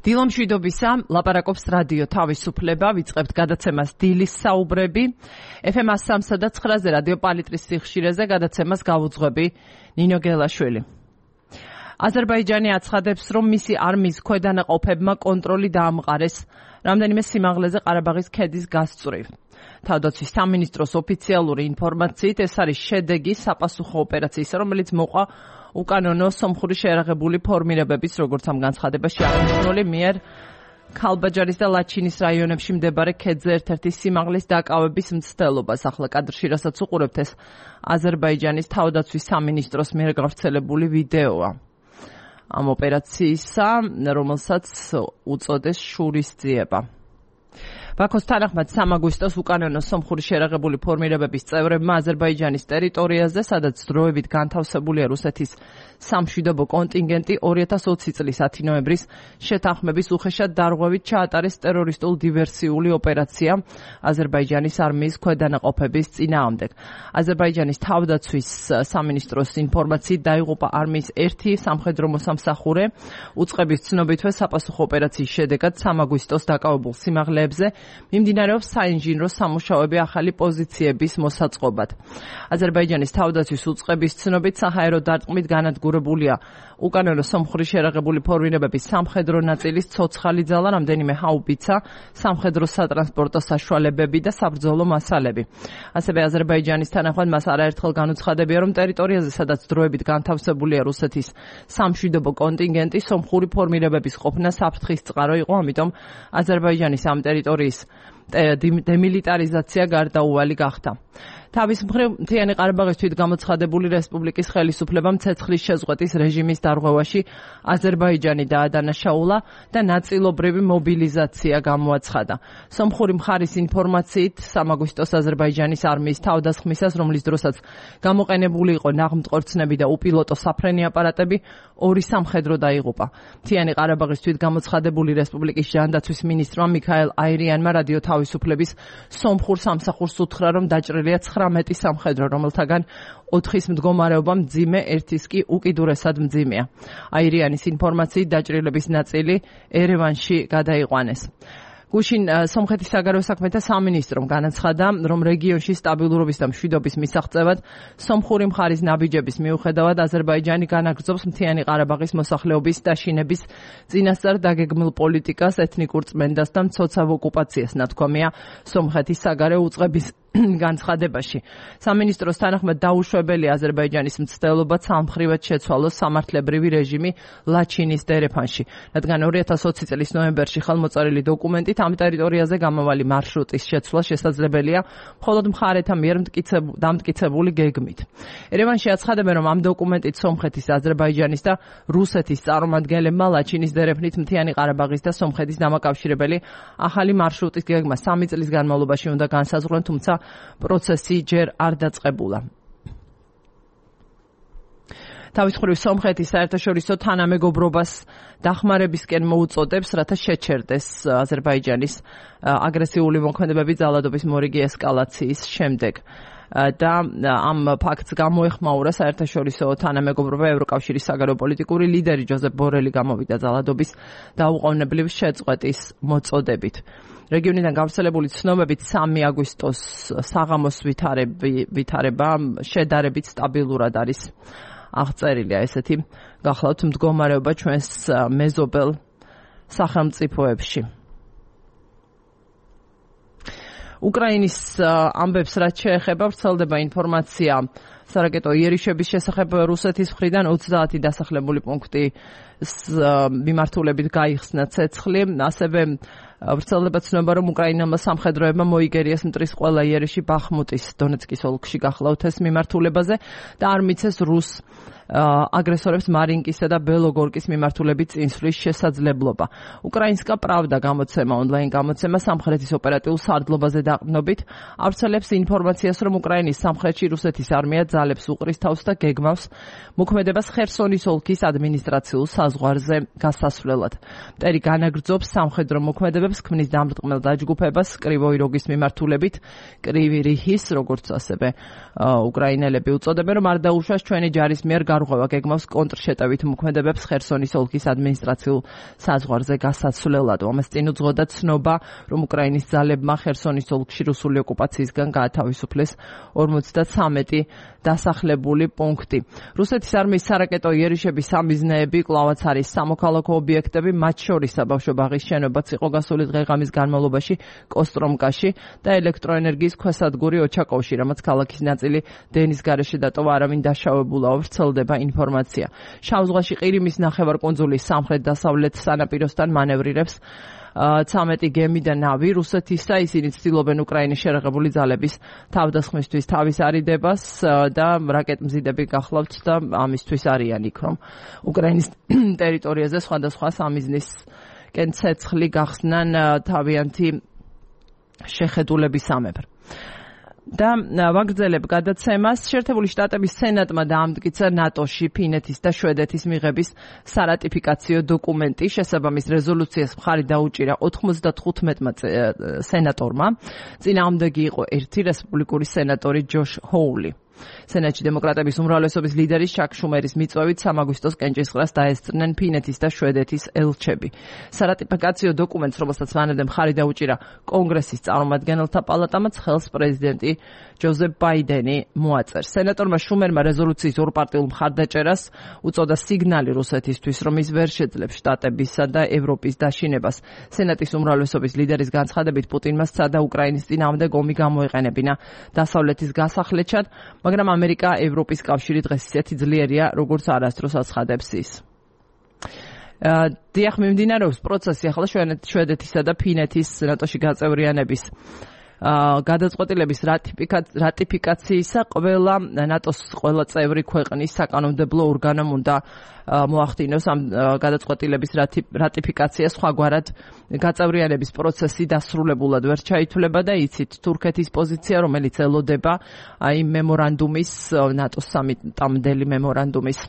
დილომშვიდობისა, ლაპარაკობს რადიო თავისუფლება, ვიწყებთ გადაცემას დილის საუბრები. FM 103 და 9-ზე რადიო პალიტრის სიხშირეზე გადაცემას გავუძღვები ნინო გელაშვილი. აზერბაიჯანი აცხადებს, რომ მისი არმიის ქვედანაყოფებმა კონტროლი დაამყარეს რამდენიმე სიმაღლეზე ყარაბაღის ქედის გასწვრივ. თავდაცვის სამინისტროს ოფიციალური ინფორმაციით ეს არის შედეგი საპასუხო ოპერაციისა, რომელიც მოყვა უკანონო სომხური შეიარაღებული ფორმირებების, როგორც ამ განცხადებაში აღნიშნული, მიერ ქალბაჯარის და ლაჩინის რაიონებში მდებარე ქედზე ერთ-ერთი სიმაღლის დაკავების მცდელობას. ახლა კადრში, რასაც უყურებთ, ეს აზერბაიჯანის თავდაცვის სამინისტროს მიერ გავრცელებული ვიდეოა ამ ოპერაციისა, რომელსაც უწოდეს შურისძიება. ბაქოს თანახმად 3 აგვისტოს უკანონო სომხური შეიარაღებული ფორმირებების წევრებმა აზერბაიჯანის ტერიტორიაზე, სადაც დროებით განთავსებულია რუსეთის სამშვიდობო კონტინგენტი, 2020 წლის 10 ნოემბრის შეთანხმების უხეშად დარღვევით ჩაატარეს ტერორისტულ დივერსიული ოპერაცია აზერბაიჯანის არმიის ქვედანაყოფების წინააღმდეგ. აზერბაიჯანის თავდაცვის სამინისტროს ინფორმაციით დაიღუპა არმიის ერთი სამხედრო მოსამსახურე. უწყების ცნობითვე საპასუხო ოპერაციის შედეგად 3 აგვისტოს დაკავებულ სიმაღლეებზე მიმდინარეობს საინჟინრო სამუშაოები ახალი პოზიციების მოსაწყობად. აზერბაიჯანის თავდაცვის უწყების ცნობით საჰაერო დარტყმით განადგურებულია უკანონო სომხური შეიარაღებული ფორმირებების სამხედრო ნაწილის ცოცხალი ძალა, რამდენიმე ჰაუბიცა, სამხედრო სატრანსპორტო საშუალებები და საბრძოლო მასალები. ასევე აზერბაიჯანის თანახმად მას არაერთხელ განუცხადებია, რომ ტერიტორიაზე, სადაც დროებით განთავსებულია რუსეთის სამშვიდობო კონტინგენტი, სომხური ფორმირებების ყოფნა საფრთხის წყარო იყო, ამიტომ აზერბაიჯანის ამ ტერიტორიის დემილიტარიზაცია გარდაუვალი გახდა. თავის მხრივ, მთიანი ყარაბაღის თვითგამოცხადებული რესპუბლიკის ხელისუფლებამ ცეცხლის შეზღუდვის რეჟიმის დარღვევაში აზერბაიჯანი დაადანაშაულა და ნაწილობრივი მობილიზაცია გამოაცხადა. სომხური მხარის ინფორმაციით 3 აგვისტოს აზერბაიჯანის არმიის თავდასხმისას, რომლის დროსაც გამოყენებული იყო ნაღმწყორცნები და უპილოტო საფრენი აპარატები, 2 სამხედრო დაიღუპა. მთიანი ყარაბაღის თვითგამოცხადებული რესპუბლიკის ჯანდაცვის მინისტრმა მიქაელ აირიანმა რადიო თავისუფლების სომხურ სამსახურს უთხრა, რომ დაჭრილია 19 სამხედრო, რომელთაგან 4-ის მდგომარეობა მძიმე, 1-ის კი უკიდურესად მძიმეა. აირიანის ინფორმაციით დაჭრილების ნაწილი ერევანში გადაიყვანეს. გუშინ სომხეთის საგარეო საქმეთა სამინისტრომ განაცხადა, რომ რეგიონში სტაბილურობის და მშვიდობის მისაღწევად სომხური მხარის ნაბიჯების მიუხედავად აზერბაიჯანი განაგრძობს მთიანი ყარაბაღის მოსახლეობის დაშინების წინასწარ დაგეგმილ პოლიტიკას, ეთნიკურ წმენდას და მცოცავ ოკუპაციას, ნათქვამია სომხეთის საგარეო უწყების განცხადებაში. სამინისტროს თანახმად დაუშვებელია აზერბაიჯანის მცდელობა სამხრივად შეცვალოს სამართლებრივი რეჟიმი ლაჩინის დერეფანში, რადგან 2020 წლის ნოემბერში ხელმოწერილი დოკუმენტით ამ ტერიტორიაზე გამავალი მარშრუტის შეცვლა შესაძლებელია მხოლოდ მხარეთა მიერ დამტკიცებული გეგმით. ერევანში აცხადებენ, რომ ამ დოკუმენტით სომხეთის, აზერბაიჯანის და რუსეთის წარმომადგენლებმა ლაჩინის დერეფნით მთიანი ყარაბაღის და სომხეთის დამაკავშირებელი ახალი მარშრუტის გეგმა 3 წლის განმავლობაში უნდა განსაზღვრონ, თუმცა პროცესი ჯერ არ დაწყებულა. თავის მხრივ სომხეთის საერთაშორისო თანამეგობრობას დახმარებისკენ მოუწოდებს, რათა შეჩერდეს აზერბაიჯანის აგრესიული მოქმედებები ძალადობის მორიგი ესკალაციის შემდეგ. და ამ ფაქტს გამოეხმაურა საერთაშორისო თანამეგობრობა ევროკავშირის საგარეო პოლიტიკური ლიდერი ჯოზეფ ბორელი გამოვიდა ძალადობის დაუყოვნებლივ შეწყვეტის მოწოდებით. რეგიონიდან გავრცელებული ცნობებით 3 აგვისტოს საღამოს ვითარება შედარებით სტაბილურად არის აღწერილია. ესეთი გახლავთ მდგომარეობა ჩვენს მეზობელ სახელმწიფოებში. უკრაინის ამბებს რაც შეეხება, ვრცელდება ინფორმაცია სარაკეტო იერიშების შესახებ რუსეთის მხრიდან 30 დასახლებული პუნქტის მიმართულებით გაიხსნა ცეცხლი. ასევე ვრცელდება ცნობა, რომ უკრაინელმა სამხედროებმა მოიგერიეს მტრის ყველა იერიში ბახმუტის დონეცკის ოლქში გახლავთ ეს მიმართულებაზე და არ მიცეს რუს აგრესორებს მარინკისა და ბელოგორკის მიმართულებით წინსვლის შესაძლებლობა. უკრაინსკა პრავდა გამოცემა, ონლაინ გამოცემა სამხრეთის ოპერატიულ სარდლობაზე დაყრდნობით ავრცელებს ინფორმაციას, რომ უკრაინის სამხრეთში რუსეთის არმია ძალებს უყრის თავს და გეგმავს მოქმედებას ხერსონის ოლქის ადმინისტრაციულ საზღვარზე გასასვლელად. მტერი განაგრძობს სამხედრო მოქმედებებს, ქმნის დამრტყმელ დაჯგუფებას კრივოი როგის მიმართულებით, კრივი რიჰის, როგორც ასევე უკრაინელები უწოდებენ, რომ არ დაუშვას ჩვენი ჯარის მიერ გარღვევა, გეგმავს კონტრშეტევით მოქმედებებს ხერსონის ოლქის ადმინისტრაციულ საზღვარზე გასასვლელად. ამას წინ უძღოდა ცნობა, რომ უკრაინის ძალებმა ხერსონის ოლქში რუსული ოკუპაციისგან გაათავისუფლეს 53 დასახლებული პუნქტი. რუსეთის არმიის სარაკეტო იერიშების სამიზნეები კვლავაც არის სამოქალაქო ობიექტები, მათ შორის საბავშვო-ბაღის შენობაც იყო გასული დღე-ღამის განმავლობაში კოსტრომკაში და ელექტროენერგიის ქვესადგური ოჩაკოვში, რამაც ქალაქის ნაწილი დენის გარეშე დატოვა, არავინ დაშავებულაო ვრცელდება ინფორმაცია. შავ ზღვაში ყირიმის ნახევარკუნძულის სამხრეთ-დასავლეთ სანაპიროსთან მანევრირებს 13 გემი და ნავი რუსეთისა, ისინი ცდილობენ უკრაინის შერეღებული ძალების თავდასხმისთვის თავის არიდებას და რაკეტმზიდები გახლავთ და ამისთვის არიან იქ, რომ უკრაინის ტერიტორიაზე სხვადასხვა სამიზნისკენ ცეცხლი გახსნან თავიანთი შეხედულებისამებრ. და ვაგრძელებ გადაცემას. შეერთებული შტატების სენატმა დაამტკიცა ნატოში ფინეთის და შვედეთის მიღების სარატიფიკაციო დოკუმენტი. შესაბამის რეზოლუციას მხარი დაუჭირა 95-მა სენატორმა. წინააღმდეგი იყო ერთი რესპუბლიკური სენატორი ჯოშ ჰოული. სენატში დემოკრატების უმრავლესობის ლიდერის ჩაკ შუმერის მიწვევით 3 აგვისტოს კენჭისყრას დაესწრნენ ფინეთის და შვედეთის ელჩები. სარატიფიკაციო დოკუმენტს, რომელსაც მანამდე მხარი დაუჭირა კონგრესის წარმომადგენელთა პალატამაც, ხელს პრეზიდენტი ჯოზეფ ბაიდენი მოაწერს. სენატორმა შუმერმა რეზოლუციის ორპარტიულ მხარდაჭერას უწოდა სიგნალი რუსეთისთვის, რომ ის ვერ შეძლებს შტატებისა და ევროპის დაშინებას. სენატის უმრავლესობის ლიდერის განცხადებით პუტინმა სცადა უკრაინის წინააღმდეგ ომი გამოეყენებინა დასავლეთის გასახლეჩად, მაგრამ ამერიკა, ევროპის კავშირი დღეს ისეთი ძლიერია, როგორც არასდროს აცხადებს ის. დიახ, მიმდინარეობს პროცესი ახლა შვედეთისა და ფინეთის ნატოში გაწევრიანების გადაწყვეტილების რატიფიკაციისა. ყველა ნატოს ყველა წევრი ქვეყნის საკანონმდებლო ორგანომ უნდა მოახდინოს ამ გადაწყვეტილების რატიფიკაცია. სხვაგვარად გაწევრიანების პროცესი დასრულებულად ვერ ჩაითვლება და იცით თურქეთის პოზიცია, რომელიც ელოდება აი მემორანდუმის, ნატოს სამიტამდელი მემორანდუმის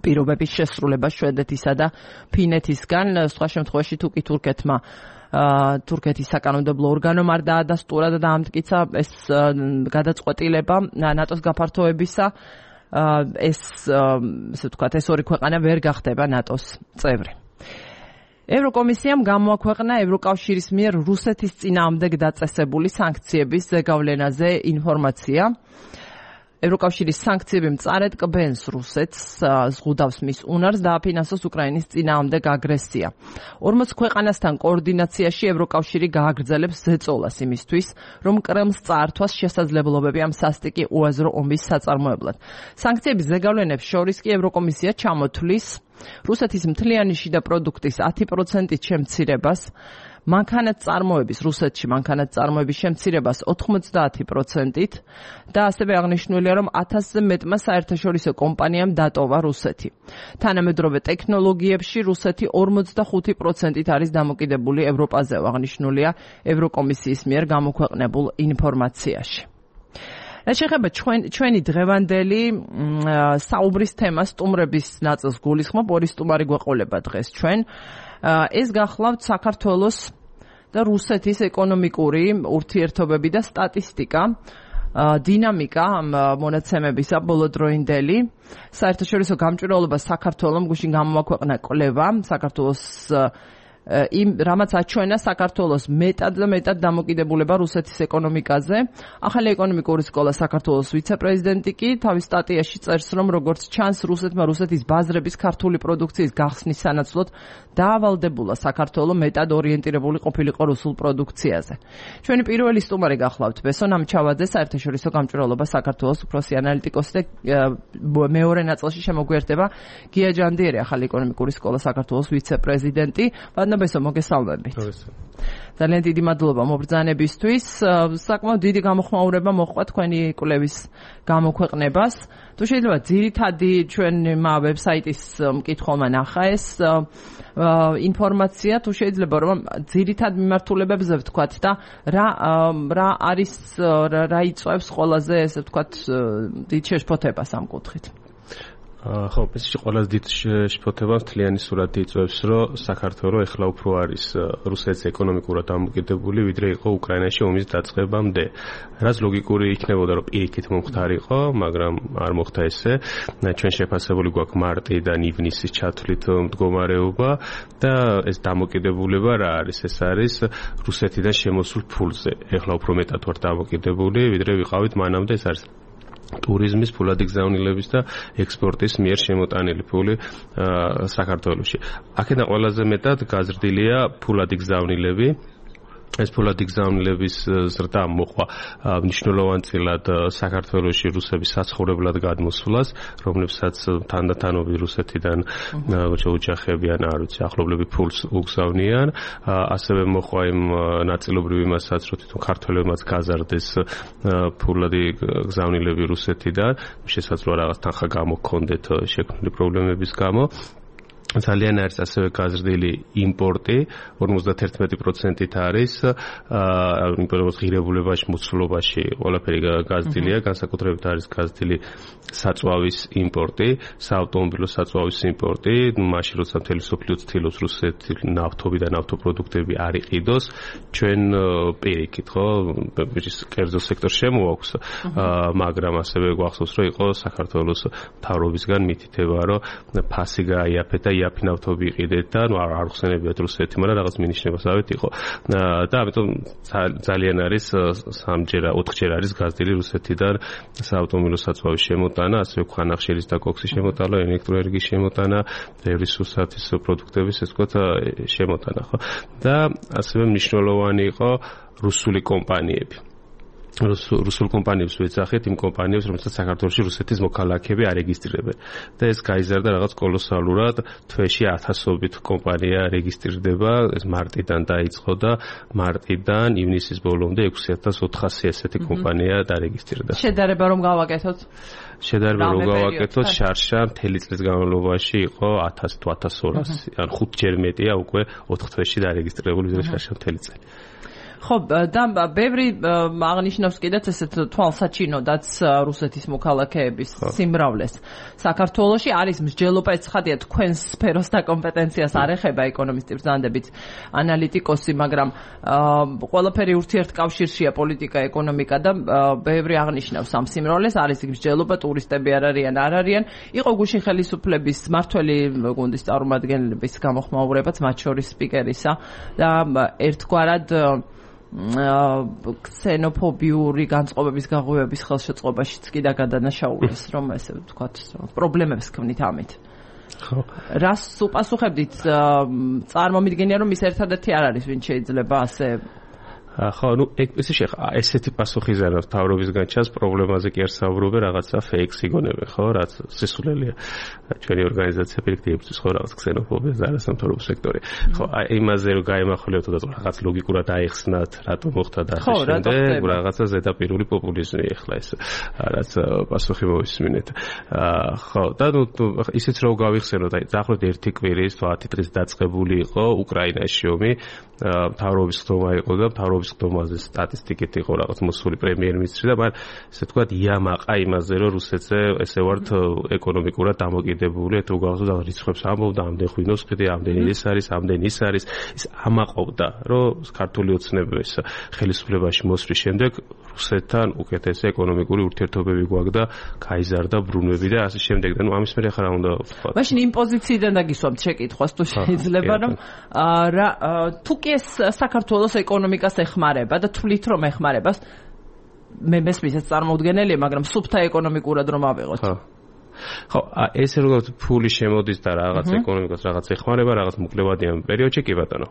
პირობების შესრულება შვედეთისა და ფინეთისგან. სხვა შემთხვევაში თუ კი თურქეთის საკანონმდებლო ორგანომ არ დაადასტურა და დაამტკიცა ეს გადაწყვეტილება ნატოს გაფართოებისა, ესე ვთქვათ, ეს ორი ქვეყანა ვერ გახდება ნატოს წევრი. ევროკომისიამ გამოაქვეყნა ევროკავშირის მიერ რუსეთის წინააღმდეგ დაწესებული სანქციების ზეგავლენაზე ინფორმაცია. ევროკავშირის სანქციები მწარედ კბენს რუსეთს, ზღუდავს მის უნარს დააფინანსოს უკრაინის წინააღმდეგ აგრესია. 40 ქვეყანასთან კოორდინაციაში ევროკავშირი გააგრძელებს ზეწოლას იმისთვის, რომ კრემლს წაართვას შესაძლებლობები ამ სასტიკი უაზრო ომის საწარმოებლად. სანქციების ზეგავლენებს შორის კი ევროკომისია ჩამოთვლის რუსეთის მთლიანი შიდა პროდუქტის 10%-ით შემცირებას, რუსეთში მანქანათმწარმოების შემცირებას 90%-ით და ასევე აღნიშნულია, რომ 1000-ზე მეტმა საერთაშორისო კომპანიამ დატოვა რუსეთი. თანამედროვე ტექნოლოგიებში რუსეთი 45%-ით არის დამოკიდებული ევროპაზე, აღნიშნულია ევროკომისიის მიერ გამოქვეყნებულ ინფორმაციაში. რაც შეეხება ჩვენი დღევანდელი საუბრის თემას, სტუმრების ნაწილს გულისხმობ, ორი სტუმარი გვეყოლება დღეს ჩვენ. ეს გახლავთ საქართველოს და რუსეთის ეკონომიკური ურთიერთობები და სტატისტიკა, დინამიკა ამ მონაცემებისა ბოლოდროინდელი. საერთაშორისო გამჭვირვალობა საქართველოს გუშინ გამოაქვეყნა კვლევა საქართველოს რამაც აჩვენა საქართველოს მეტად და მეტად დამოკიდებულება რუსეთის ეკონომიკაზე. ახალი ეკონომიკური სკოლა საქართველოს ვიცე-პრეზიდენტი კი თავის სტატიაში წერს, რომ როგორც ჩანს, რუსეთმა რუსეთის ბაზრების ქართული პროდუქციის გახსნის სანაცვლოდ დაავალდებულა საქართველო მეტად ორიენტირებული ყოფილიყო რუსულ პროდუქციაზე. ჩვენი პირველი სტუმარი გახლავთ ბესონ ამჩავაძე, საერთაშორისო გამჭვირვალობა საქართველოს უფროსი ანალიტიკოსი და მეორე ნაწილში შემოგვიერთდება გია ჯანდიერი, ახალი ეკონომიკური სკოლა საქართველოს ვიცე-პრეზიდენტი. მადლობესო, მოგესალმებით. ძალიან დიდი მადლობა მობრძანებისთვის. საკმაოდ დიდი გამოხმაურება მოჰყვა თქვენი კვლევის გამოქვეყნებას. თუ შეიძლება ძირითადი ჩვენ ვებსაიტის მკითხველმა ნახა ეს ინფორმაცია, თუ შეიძლება რომ ძირითად მიმართულებებზე ვთქვათ და რა არის რა იწვევს ყველაზე ესე ვთქვათ დიდ შეშფოთებას ამ კუთხით. ხო, ეს ყველაზე დიდ შეფოთებას მთლიანი სურათი იწვევს, რომ საქართველო ეხლა უფრო არის რუსეთის ეკონომიკურად დამოკიდებული, ვიდრე იყო უკრაინაში ომის დაწყებამდე. რაც ლოგიკური იქნებოდა, რომ პირიქით მომხდარიყო, მაგრამ არ მოხდა ესე. ჩვენ შეფასებული გვაქვს მარტიდან ივნისის ჩათვლით მდგომარეობა და ეს დამოკიდებულება რა არის? ეს არის რუსეთიდან შემოსულ ფულზე. ეხლა უფრო მეტად ვართ დამოკიდებული, ვიდრე ვიყავით მანამდე. ეს არის ტურიზმის, ფულადი გზავნილების და ექსპორტის მიერ შემოტანილი ფული საქართველოში. აქედან ყველაზე მეტად გაზრდილია ფულადი გზავნილები. ეს ფულადი გზავნილების ზრდა მოყვა მნიშვნელოვანწილად საქართველოში რუსების საცხოვრებლად გადმოსვლას, რომლებსაც თანდათანობით რუსეთიდან ოჯახები ან არ ვიცი, ახლობლები ფულს უგზავნიან. ასევე მოყვა იმ ნაწილობრივ იმასაც, რომ თვითონ ქართველებმაც გაზარდეს ფულადი გზავნილები რუსეთიდან, შესაძლოა რაღაც თანხა გამოქონდეთ შექმნილი პრობლემების გამო. ძალიან არის ასევე გაზრდილი იმპორტი, 51%-ით არის იმპორტის ღირებულებაში, მოცულობაში ყველაფერი გაზრდილია, განსაკუთრებით არის გაზრდილი საწვავის იმპორტი, საავტომობილო საწვავის იმპორტი, მაშინ როცა მთელი მსოფლიო ცდილობს რუსეთი ნავთობი და ნავთობპროდუქტები არ იყიდოს, ჩვენ პირიქით, ხო, კერძო სექტორს შემოაქვს, მაგრამ ასევე გვახსოვს, რომ იყო საქართველოს მთავრობისგან მითითება, რომ ფასი გაიაფეთ და იაფი ნავთობი იყიდეთ და არ ხსენებიათ რუსეთი, მაგრამ რაღაც მინიშნებასავით იყო. და ამიტომ ძალიან არის 4-ჯერ არის გაზრდილი რუსეთიდან საავტომობილო საწვავის შემოტანა, ასევე ქვანახშირის და კოქსის შემოტანა, ელექტროენერგიის შემოტანა, ბევრი სურსათის პროდუქტების ეს ვთქვათ შემოტანა, ხო? და ასევე მნიშვნელოვანი იყო რუსული კომპანიები. რუსულ კომპანიებს ვეძახით, იმ კომპანიებს, რომელსაც საქართველოში რუსეთის მოქალაქეები არეგისტრირებენ. და ეს გაიზარდა რაღაც კოლოსალურად, თვეში 1000-ობით კომპანია რეგისტრირდება, ეს მარტიდან დაიწყო და მარტიდან ივნისის ბოლომდე 6400 ესეთი კომპანია დარეგისტრირდა. შედარება რომ გავაკეთოთ? შედარება რომ გავაკეთოთ, შარშა მთელი წლის განმავლობაში იყო 1000 თუ 1200, ან 5-ჯერ მეტია უკვე 4 თვეში დარეგისტრირებული შარშა მთელი წელი. ხო, და ბევრი აღნიშნავს კიდეც ესეთ თვალსაჩინოდაც რუსეთის მოქალაქეების სიმრავლეს. საქართველოში არის მსჯელობა, ეცხადია თქვენს სფეროს და კომპეტენციას არ ეხება ეკონომისტი ბრძანდებით ანალიტიკოსი, მაგრამ ყველაფერი ურთიერთკავშირშია პოლიტიკა, ეკონომიკა და ბევრი აღნიშნავს ამ სიმრავლეს, არის მსჯელობა, ტურისტები არ არიან. იყო გუშინ ხელისუფლების მართველი გუნდის წარმომადგენლების გამოხმაურებაც, მათ შორის სპიკერისა და ერთგვარად ქსენოფობიური განწყობების გაღვივების ხელშეწყობაშიც კი დაგადანაშაულეს, რომ ესე ვთქვათ, პრობლემებს ქმნით ამით. ხო. რას უპასუხებდით? წარმომიდგენია, რომ ის ერთადერთი არ არის, ვინც შეიძლება ასე ხო, ესეთი პასუხიზარდა მთავრობისგან ჩანს, პრობლემაზე კი არ საუბრობენ, რაღაცა ფეიქს იგონებენ, ხო, რაც სისულელია. ჩვენი ორგანიზაცია პირიქით იბრძვის, ხო, რაღაც ქსენოფობიას და არასამთავრობო სექტორი. ხო, იმაზე რომ გაემახვილებთ და რაღაც ლოგიკურად აიხსნათ, რატომ მოხდა და ასე შემდეგ, რაღაცა ზედაპირული პოპულიზმი ახლა ეს რაც პასუხი მოვისმინეთ. ხო, და ისიც რომ გავიხსენოთ, დაახლოებით 1 კვირის 10 დღის დაწყებული იყო უკრაინაში ომი, მთავრობის ხდომა იყო და მთავრობის ხდომაზე სტატისტიკით იყო რაღაც მოსული პრემიერ-მინისტრი და მაგრამ ესე ვთქვათ იამაყა იმაზე რომ რუსეთზე ესე ვართ ეკონომიკურად დამოკიდებული, თუ გავხსოვთ და რიცხვებს ამბობდა, ამდენ ღვინოს ყიდი, ამდენი ის არის, ამდენი ის არის, ის ამაყობდა, რომ ქართული ოცნების ხელისუფლებაში მოსვლის შემდეგ რუსეთთან უკეთესი ეკონომიკური ურთიერთობები გვაქვს და გაიზარდა ბრუნვები და ასე შემდეგ. და ამის მერე ხარ უნდა ვთქვათ. მაშინ იმ პოზიციიდან დაგისვამთ შეკითხვას, თუ შეიძლება რომ თუ კი ეს საქართველოს ეკონომიკას ეხმარება და თვლით რომ ეხმარება, მე მესმის ეს წარმოუდგენელია, მაგრამ სუფთა ეკონომიკურად რომ ავიღოთ. ხო, ეს როგორ ფული შემოდის და რაღაც ეკონომიკას რაღაც ეხმარება, რაღაც მოკლევადიან პერიოდში კი ბატონო.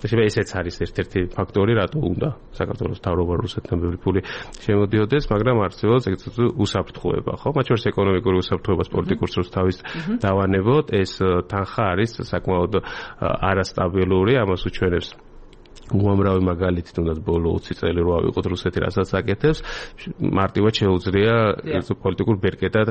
ესეც არის ერთ-ერთი ფაქტორი, რატო უნდა საქართველოს მთავრობა რუსეთთან ბევრი ფული შემოდიოდეს, მაგრამ არსებობს ეგრეთ უსაფრთხოება, ხო? მათ შორის ეკონომიკური უსაფრთხოებას პოლიტიკურ სრულს თავის დავანებოთ, ეს თანხა არის საკმაოდ არასტაბილური, ამას უჩვენებს უამრავი მაგალითი, თუნდაც ბოლო 20 წელი რო ავიღოთ რუსეთი რასაც აკეთებს, მარტივად შეუძლია ეს პოლიტიკურ ბერკეტად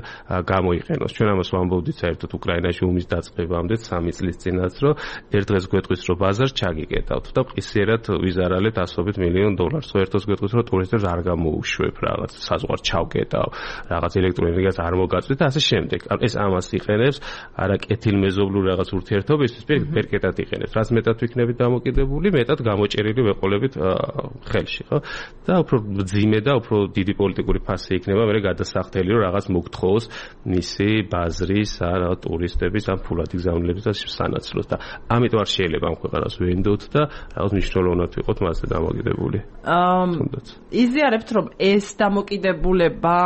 გამოიყენოს. ჩვენ ამას ვამბობდით საერთოდ უკრაინაში ომის დაწყებამდე 3 წლის წინაც, რომ ერთ დღეს გვეტყვის, რომ ბაზარს ჩაგიკეტავთ და ყისიერად ვიზარალეთ $100 მილიონ. ხო ერთოს გვეტყვის, რომ ტურისტებს არ გამოუშვებ რაღაც, საზღვარს ჩავკეტავ, რაღაც ელექტროენერგიას არ მოგაწვით და ასე შემდეგ. ეს ამას იყენებს, არა კეთილმეზობლურ რაღაც ურთიერთობისთვის, ბერკეტად იყენებს. რაც მეტად ვიქნებით დამოკიდებული, მეტად მოჭერილი ვეყოლებით ხელში, ხო? და უფრო ძიმე და უფრო დიდი პოლიტიკური ფასი იქნება, მე გადასახდელი რომ რაღაც მოგთხოვოს მისი ბაზრის, რაღაც ტურისტების ან ფულადი გზავნილების და სანაცვლოდ და ამიტომ არ შეიძლება ამ ქვეყანას ვენდოთ და რაღაც მნიშვნელოვნად ვიყოთ მასზე დამოკიდებული. იზიარებთ რომ ეს დამოკიდებულება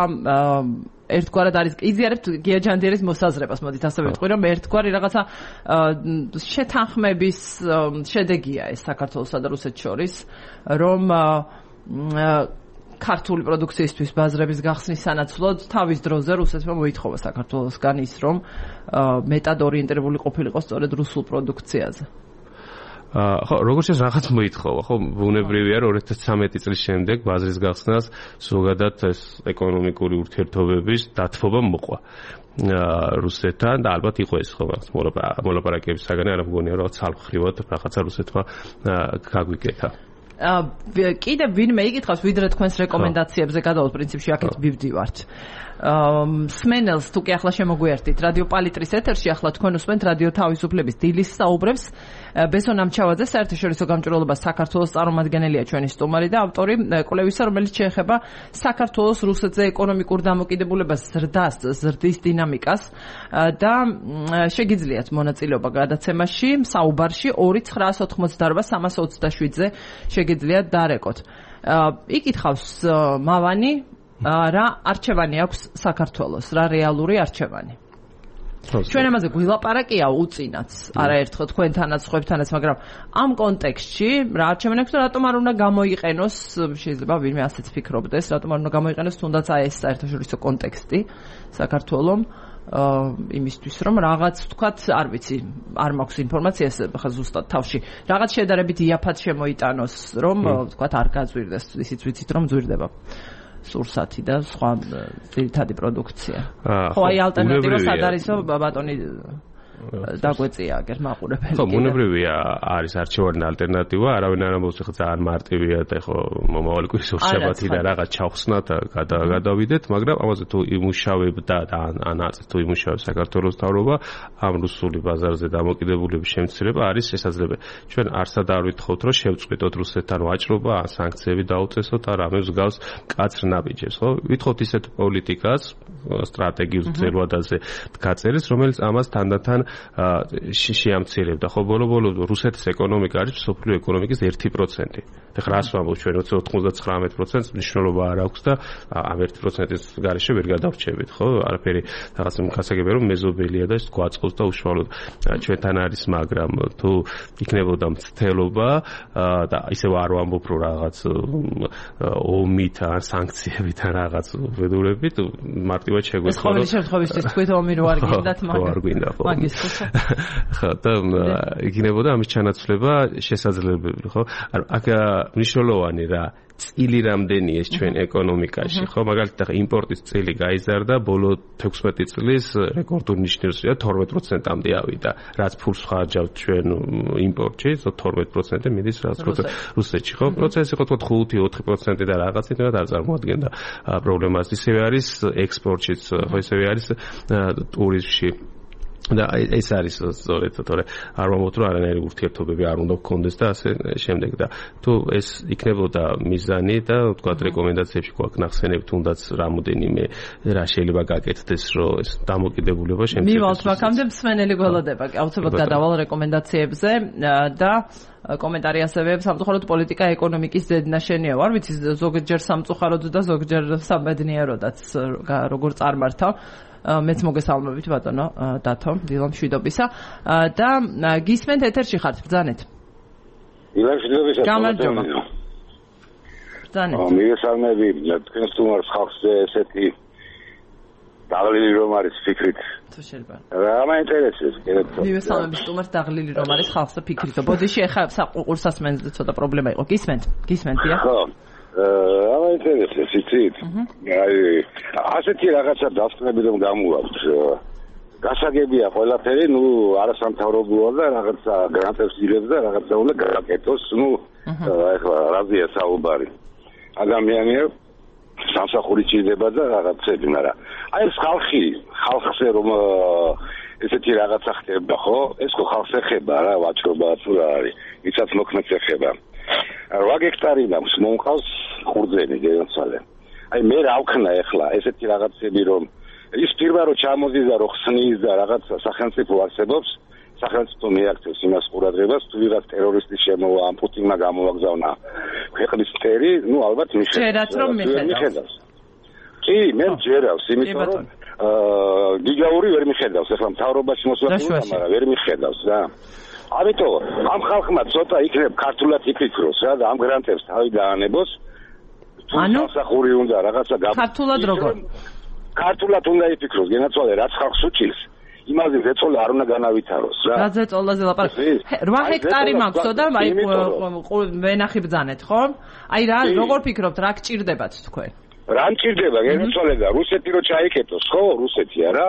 ერთგვარად არის იზიარებთ გია ჯანდიერის მოსაზრებას, მოდით ასე ვიტყვი, რომ ერთგვარი რაღაცა შეთანხმების შედეგია ეს საქართველოსა და რუსეთს შორის, რომ ქართული პროდუქციისთვის ბაზრების გახსნის სანაცვლოდ თავის დროზე რუსეთმა მოითხოვა საქართველოსგან ის, რომ მეტად ორიენტირებული ყოფილიყო სწორედ რუსულ პროდუქციაზე. ხო, როგორც ეს რაღაც მოითხოვა, ხო, ბუნებრივია რომ 2013 წლის შემდეგ ბაზრის გახსნას ზოგადად ეს ეკონომიკური ურთიერთობების დათბობა მოყვა რუსეთთან და ალბათ იყო ეს ხო მოლაპარაკების საგანი, არ მგონია რომ ცალმხრივად რაღაცა რუსეთმა გაგვიკეთა. კიდევ ვინმე იკითხავს, ვიდრე თქვენს რეკომენდაციებზე გადავთ, პრინციპში აქეთ ვიბდივართ. სმენელს თუ კი ახლა შემოგვიერთით რადიო პალიტრის ეთერში, ახლა თქვენ უსმენთ რადიო თავისუფლების დილის საუბრებს. ბესო ნამჩავაძე საერთაშორისო გამჭვირვალობას საქართველოს წარმომადგენელია ჩვენი სტუმარი და ავტორი კვლევისა, რომელიც შეეხება საქართველოს რუსეთზე ეკონომიკურ დამოკიდებულებას, ზრდის დინამიკას და შეგიძლიათ მონაწილეობა გადაცემაში, საუბარში 2-988-327-ზე შეგიძლიათ დარეკოთ. იკითხავს მავანი, რა არჩევანი აქვს საქართველოს, რა რეალური არჩევანი? ჩვენ ამაზე გვილაპარაკია უწინაც, არაერთხელ თქვენთანაც, ხვებთანაც, მაგრამ ამ კონტექსტში რა არჩევანი აქვს და რატომ არ უნდა გამოიყენოს, შეიძლება ვინმე ასეც ფიქრობდეს, რატომ არ უნდა გამოიყენოს თუნდაც ეს საერთაშორისო კონტექსტი საქართველოს იმისთვის, რომ რაღაც ვთქვათ, არ ვიცი, არ მაქვს ინფორმაციას ხა ზუსტად თავში, რაღაც შედარებით იაფად შემოიტანოს, რომ ვთქვათ, არ გაძვირდეს, ისიც ვიცით, რომ ძვირდება სურსათი და სხვა ძირითადი პროდუქცია. ხო, აი ალტერნატივა სად არისო, ბატონი დაგვეწია აგერ მაყურებელი. ხო, ბუნებრივია არის არჩევანი ალტერნატივა, არავინ არ ამბობს ხა ძალიან მარტივია და ხო მომავალი კვირის შაბათი და რაღაც ჩავხსნათ და გადავიდეთ, მაგრამ ამაზე თუ იმუშავებდა და ან აწ თუ იმუშავებს საქართველოს მთავრობა, ამ რუსული ბაზარზე დამოკიდებულების შემცირება არის შესაძლებელი. ჩვენ არსად არ ვითხოვთ, რომ შევწყვიტოთ რუსეთთან ვაჭრობა, ან სანქციები დაუწესოთ, ან რამე მსგავს მკაცრ ნაბიჯებს, ხო? ვითხოვთ ისეთ პოლიტიკას, სტრატეგიულ ძელვადაზე გაწერილს, რომელიც ამას თანდათან შეამცირებდა. ხო, ბოლო-ბოლო რუსეთის ეკონომიკა არის მსოფლიო ეკონომიკის 1%. ეხლა რას ვამბობ ჩვენ 99%-ს მნიშვნელობა არ აქვს და ამ 1%-ის გარეშე ვერ გადავრჩებით, ხო? არაფერი რაღაც გასაგებია რომ მეზობელია და ეს გვაწყობს და უშუალოდ ჩვენთან არის, მაგრამ თუ იქნებოდა მცდელობა და ისევ არ ვამბობ რომ რაღაც ომით ან სანქციებით ან რაღაც უბედურებით მარტივად შეგვეცხოვა. ეს ყოველი შემთხვევისთვის თქვით ომი რო არ გინდათ, მაგრამ არ გვინდა ხო? ხო, და იქნებოდა ამის ჩანაცვლება შესაძლებელი, ხო? აქ მნიშვნელოვანი რა წილი რამდენია ეს ჩვენ ეკონომიკაში, ხო? მაგალითად ახლა იმპორტის წილი გაიზარდა, ბოლო 16 წლის რეკორდულ ნიშნებია 12%-მდე ავიდა. რაც ფულს ხარჯავთ ჩვენ იმპორტში, 12% მიდის რაც რუსეთში, ხო? პროცესი ხო თქვა 5-4% და რაღაცით არ წარმოადგენდა პრობლემას. ისევე არის ექსპორტშიც, ხო, ისევე არის ტურიზმში. და ეს არის სწორედ, თორე არ ვამბობთ რომ არანაირი ურთიერთობები არ უნდა გქონდეს და ასე შემდეგ და თუ ეს იქნებოდა მიზანი და ვთქვათ რეკომენდაციებში გვაქვს ნახსენები თუნდაც რამოდენიმე რა შეიძლება გაკეთდეს რომ ეს დამოკიდებულება შემცირდეს. მივალთ მაგამდე მსმენელი გველოდება, აუცილებლად გადავალ რეკომენდაციებზე და კომენტარი ასევე სამწუხაროდ პოლიტიკა ეკონომიკის ზედნაშენია. არ ვიცი ზოგჯერ სამწუხაროდ და ზოგჯერ საბედნიეროდაც როგორ წარმართავ. მეც მოგესალმებით ბატონო დათო დილა მშვიდობისა და გისმენთ ეთერში ხართ ბრძანეთ. ილაშქრებისა გამარჯობა. მიგესალმები თქვენს თუმარს ხალხზე ესეთი დაღლილი რომ არის ფიქრით. თუ შეიძლება. რა მაინტერესებს კიდევ. მიგესალმების თუმარს დაღლილი რომ არის ხალხზე ფიქრით. ბოდიში ეხა საყურსასმენზე ცოტა პრობლემა იყო. გისმენთ? ხო. რა მაინტერესებს იცით? აი ასეთი რაღაცა დასწრები რომ გამოაქვს. გასაგებია ყველაფერი, არასამთავრობოა და რაღაცა გრანტებს იღებს და რაღაცა უნდა გააკეთოს, ეხლა რაზეა საუბარი. ადამიანია სამსახური ჭირდება და რაღაცები, მაგრამ აი ეს ხალხზე რომ ესეთი რაღაცა ხდება, ხო? ეს ხო ხალხს ეხება რა, ვაჭრობა თუ რა არის, ვისაც მოქმედს ეხება. 8 ჰექტარი მაქვს, მომყავს ხურძენი გეცვალე. აი მე რა ვქნა ეხლა ესეთი რაღაცები რომ ის პირმა რომ ჩამოდიდა და რომ ხსნის და რაღაცა სახელმწიფო არსებობს, სახელმწიფო მიაქცევს იმას ყურადღებას, თუ ვიღაც ტერორისტის შემოვა, ამ პუტინმა გამოვაგზავნა ქვეყნის წერი, ალბათ მიხედავს. რომ მიხედავს. კი, მე ჯერავს, იმიტომ რომ გიგაური ვერ მიხედავს, ეხლა მთავრობაში მოსვლა, მაგრამ ვერ მიხედავს რა. ამიტომ ამ ხალხმა ცოტა იქნებ ქართულად იფიქროს რა და ამ გრანტებს თავი დაანებოს. ანუ სახური უნდა რაღაცა ქართულად როგორ? ქართულად უნდა იფიქროს, გენაცვალე რაც ხალხს უჭირს. იმაზე ზეწოლა არ უნდა განავითაროს რა. რა ზეწოლაზე ლაპარაკი? 8 ჰექტარი მაქვს და აი ვენახი ბძანეთ, ხო? აი რა როგორ ფიქრობთ, რა გჭირდებათ თქვენ? რა მჭირდება, გენაცვალე და რუსეთი რო ჩაიკეტოს, ხო, რუსეთი არა?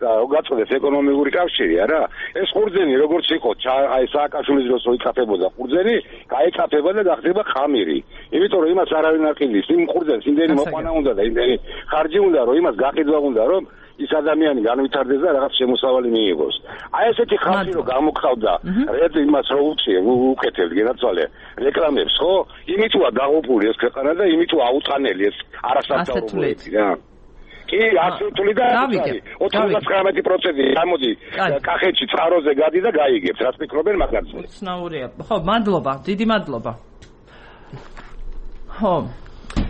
და გაწოდეს ეკონომიკური კავშირი არა? ეს ხურძენი როგორც იყო, აი სააკაშვილის დროს ikapeboda ხურძენი, გაიკაფება და გახდება ხამირი. იმიტომ რომ იმას არავინ არ ყიდის, იმ ხურძენს იმდენი მოყვანა უნდა და იმდენი ხარჯი უნდა, რომ იმას გაყიდვა უნდა, რომ ის ადამიანი განვითარდეს და რაღაც შემოსავალი მიიღოს. აი ესეთი ხალხი რომ გამოგხავდა, რეально იმას რო უკეთებთ, გენაცვალე, რეკლამებს, ხო? იმითოა დაღუპული ეს ქვეყანა და იმითო აუტანელი ეს არასამთავრობოები რა. კი, ასეთული და 99% გამოდი კახეთში წყაროზე გადი და გაიგებს, რაც ფიქრობენ მაგაზე. უცნაურია. ხო, მადლობა, დიდი მადლობა. ხო.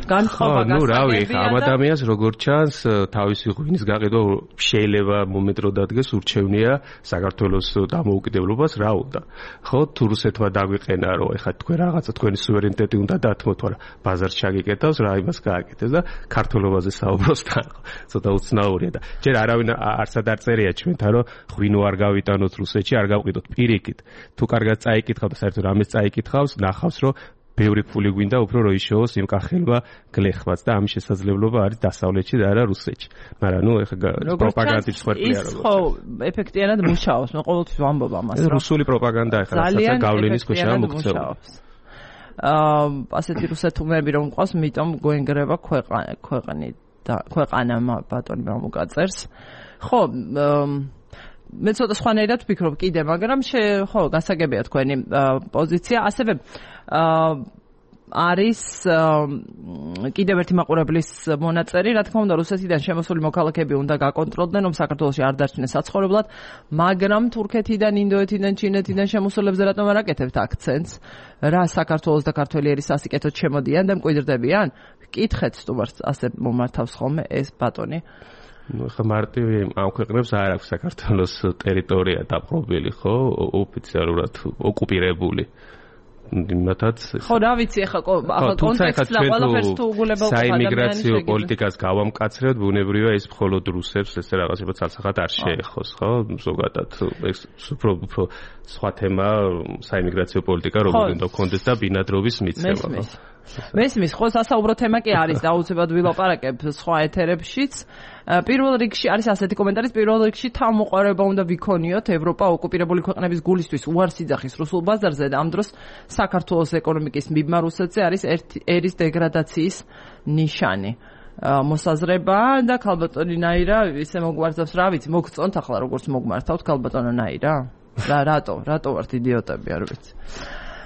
რავი, ამ ადამიანს როგორც ჩანს, თავისი ღვინის გაყიდვა შეიძლება მომენტ რო დადგეს ურჩევნია საქართველოს დამოუკიდებლობას რა უნდა. ხო, თუ რუსეთმა დაგვიყენა, რომ ეხლა თქვენ რაღაცა თქვენი სუვერენიტეტი უნდა დათმოთ, მაგრამ ბაზარს ჩაგიკეთავს, რა იმას გააკეთეს და ქართულობაზე საუბრობს თან. ცოტა უცნაურია და ჯერ არავინ არცად არ წერია ჩვენთან, რომ ღვინო არ გავიტანოთ რუსეთში, არ გავყიდოთ პირიქით. თუ კარგად წაიკითხავ და საერთოდ რამეს წაიკითხავს, ნახავს, რომ ბევრი ფული გვინდა უფრო რომ ისოოს იმ კახელვა გლეხված და ამის შესაძლებლობა არის დასავლეთში და არა რუსეთში. მაგრამ ეხლა პროპაგანდის ხვერპლია როგორ. ის ხო ეფექტიანად მუშაობს, მე ყოველთვის ვამბობ ამას. რუსული პროპაგანდა ეხლა რასაც გავლენის ქვეშაა მოქცევა. ასეთი რუსეთუმები რომ მყავს, მიტომ გვენგრება ქვეყანა ბატონი მომუკაწერს. ხო, მე ცოტა სხვანაირად ვფიქრობ კიდე, მაგრამ ხო, გასაგებია თქვენი პოზიცია. ასევე არის კიდევ ერთი მაყურებლის მონაწერი, რა თქმა უნდა, რუსეთიდან შემოსული მოქალაქეები უნდა გაკონტროლდნენ, რომ საქართველოში არ დარჩნენ საცხოვრებლად, მაგრამ თურქეთიდან, ინდოეთიდან, ჩინეთიდან შემოსულებზე რატომ არ აკეთებთ აქცენტს? რა საქართველოს და ქართველიერის სასიკეთოდ შემოდიან და მკვიდრდებიან? კითხეთ სტუმარს, ასე მომართავს ხოლმე ეს ბატონი. ხა მარტივი ამ ქვეყნებს არ აქვს საქართველოს ტერიტორია დაპყრობილი, ხო, ოფიციალურად ოკუპირებული. იმათაც ხო, რა ვიცი, ახლა კონტექსტს და ყველაფერს თუ უგულებელ საიმიგრაციო პოლიტიკას გავამკაცრებთ, ბუნებრივია ის მხოლოდ რუსებს ეს რაღაცება ცალსახად არ შეეხოს, ხო? ზოგადად ეს უფრო სხვა თემა საიმიგრაციო პოლიტიკა როგორ უნდა გქონდეს და ბინადრობის მიცემა, ხო? მესმის, ხო, სასაუბრო თემა კი არის და აუცილებლად ვილაპარაკებ სხვა ეთერებშიც. პირველ რიგში არის ასეთი კომენტარი, პირველ რიგში თავმოყარება უნდა ვიქონიოთ ევროპა ოკუპირებული ქვეყნების გულისთვის უარს იძახის რუსულ ბაზარზე და ამ დროს საქართველოს ეკონომიკის მიბმა რუსეთზე არის ერის დეგრადაციის ნიშანი. მოსაზრება და ქალბატონი ნაირა ისე მოგვარცავს, რა ვიცი, მოგწონთ ახლა როგორც მოგმართავთ ქალბატონო ნაირა? რატო ვართ იდიოტები, არ ვიცი.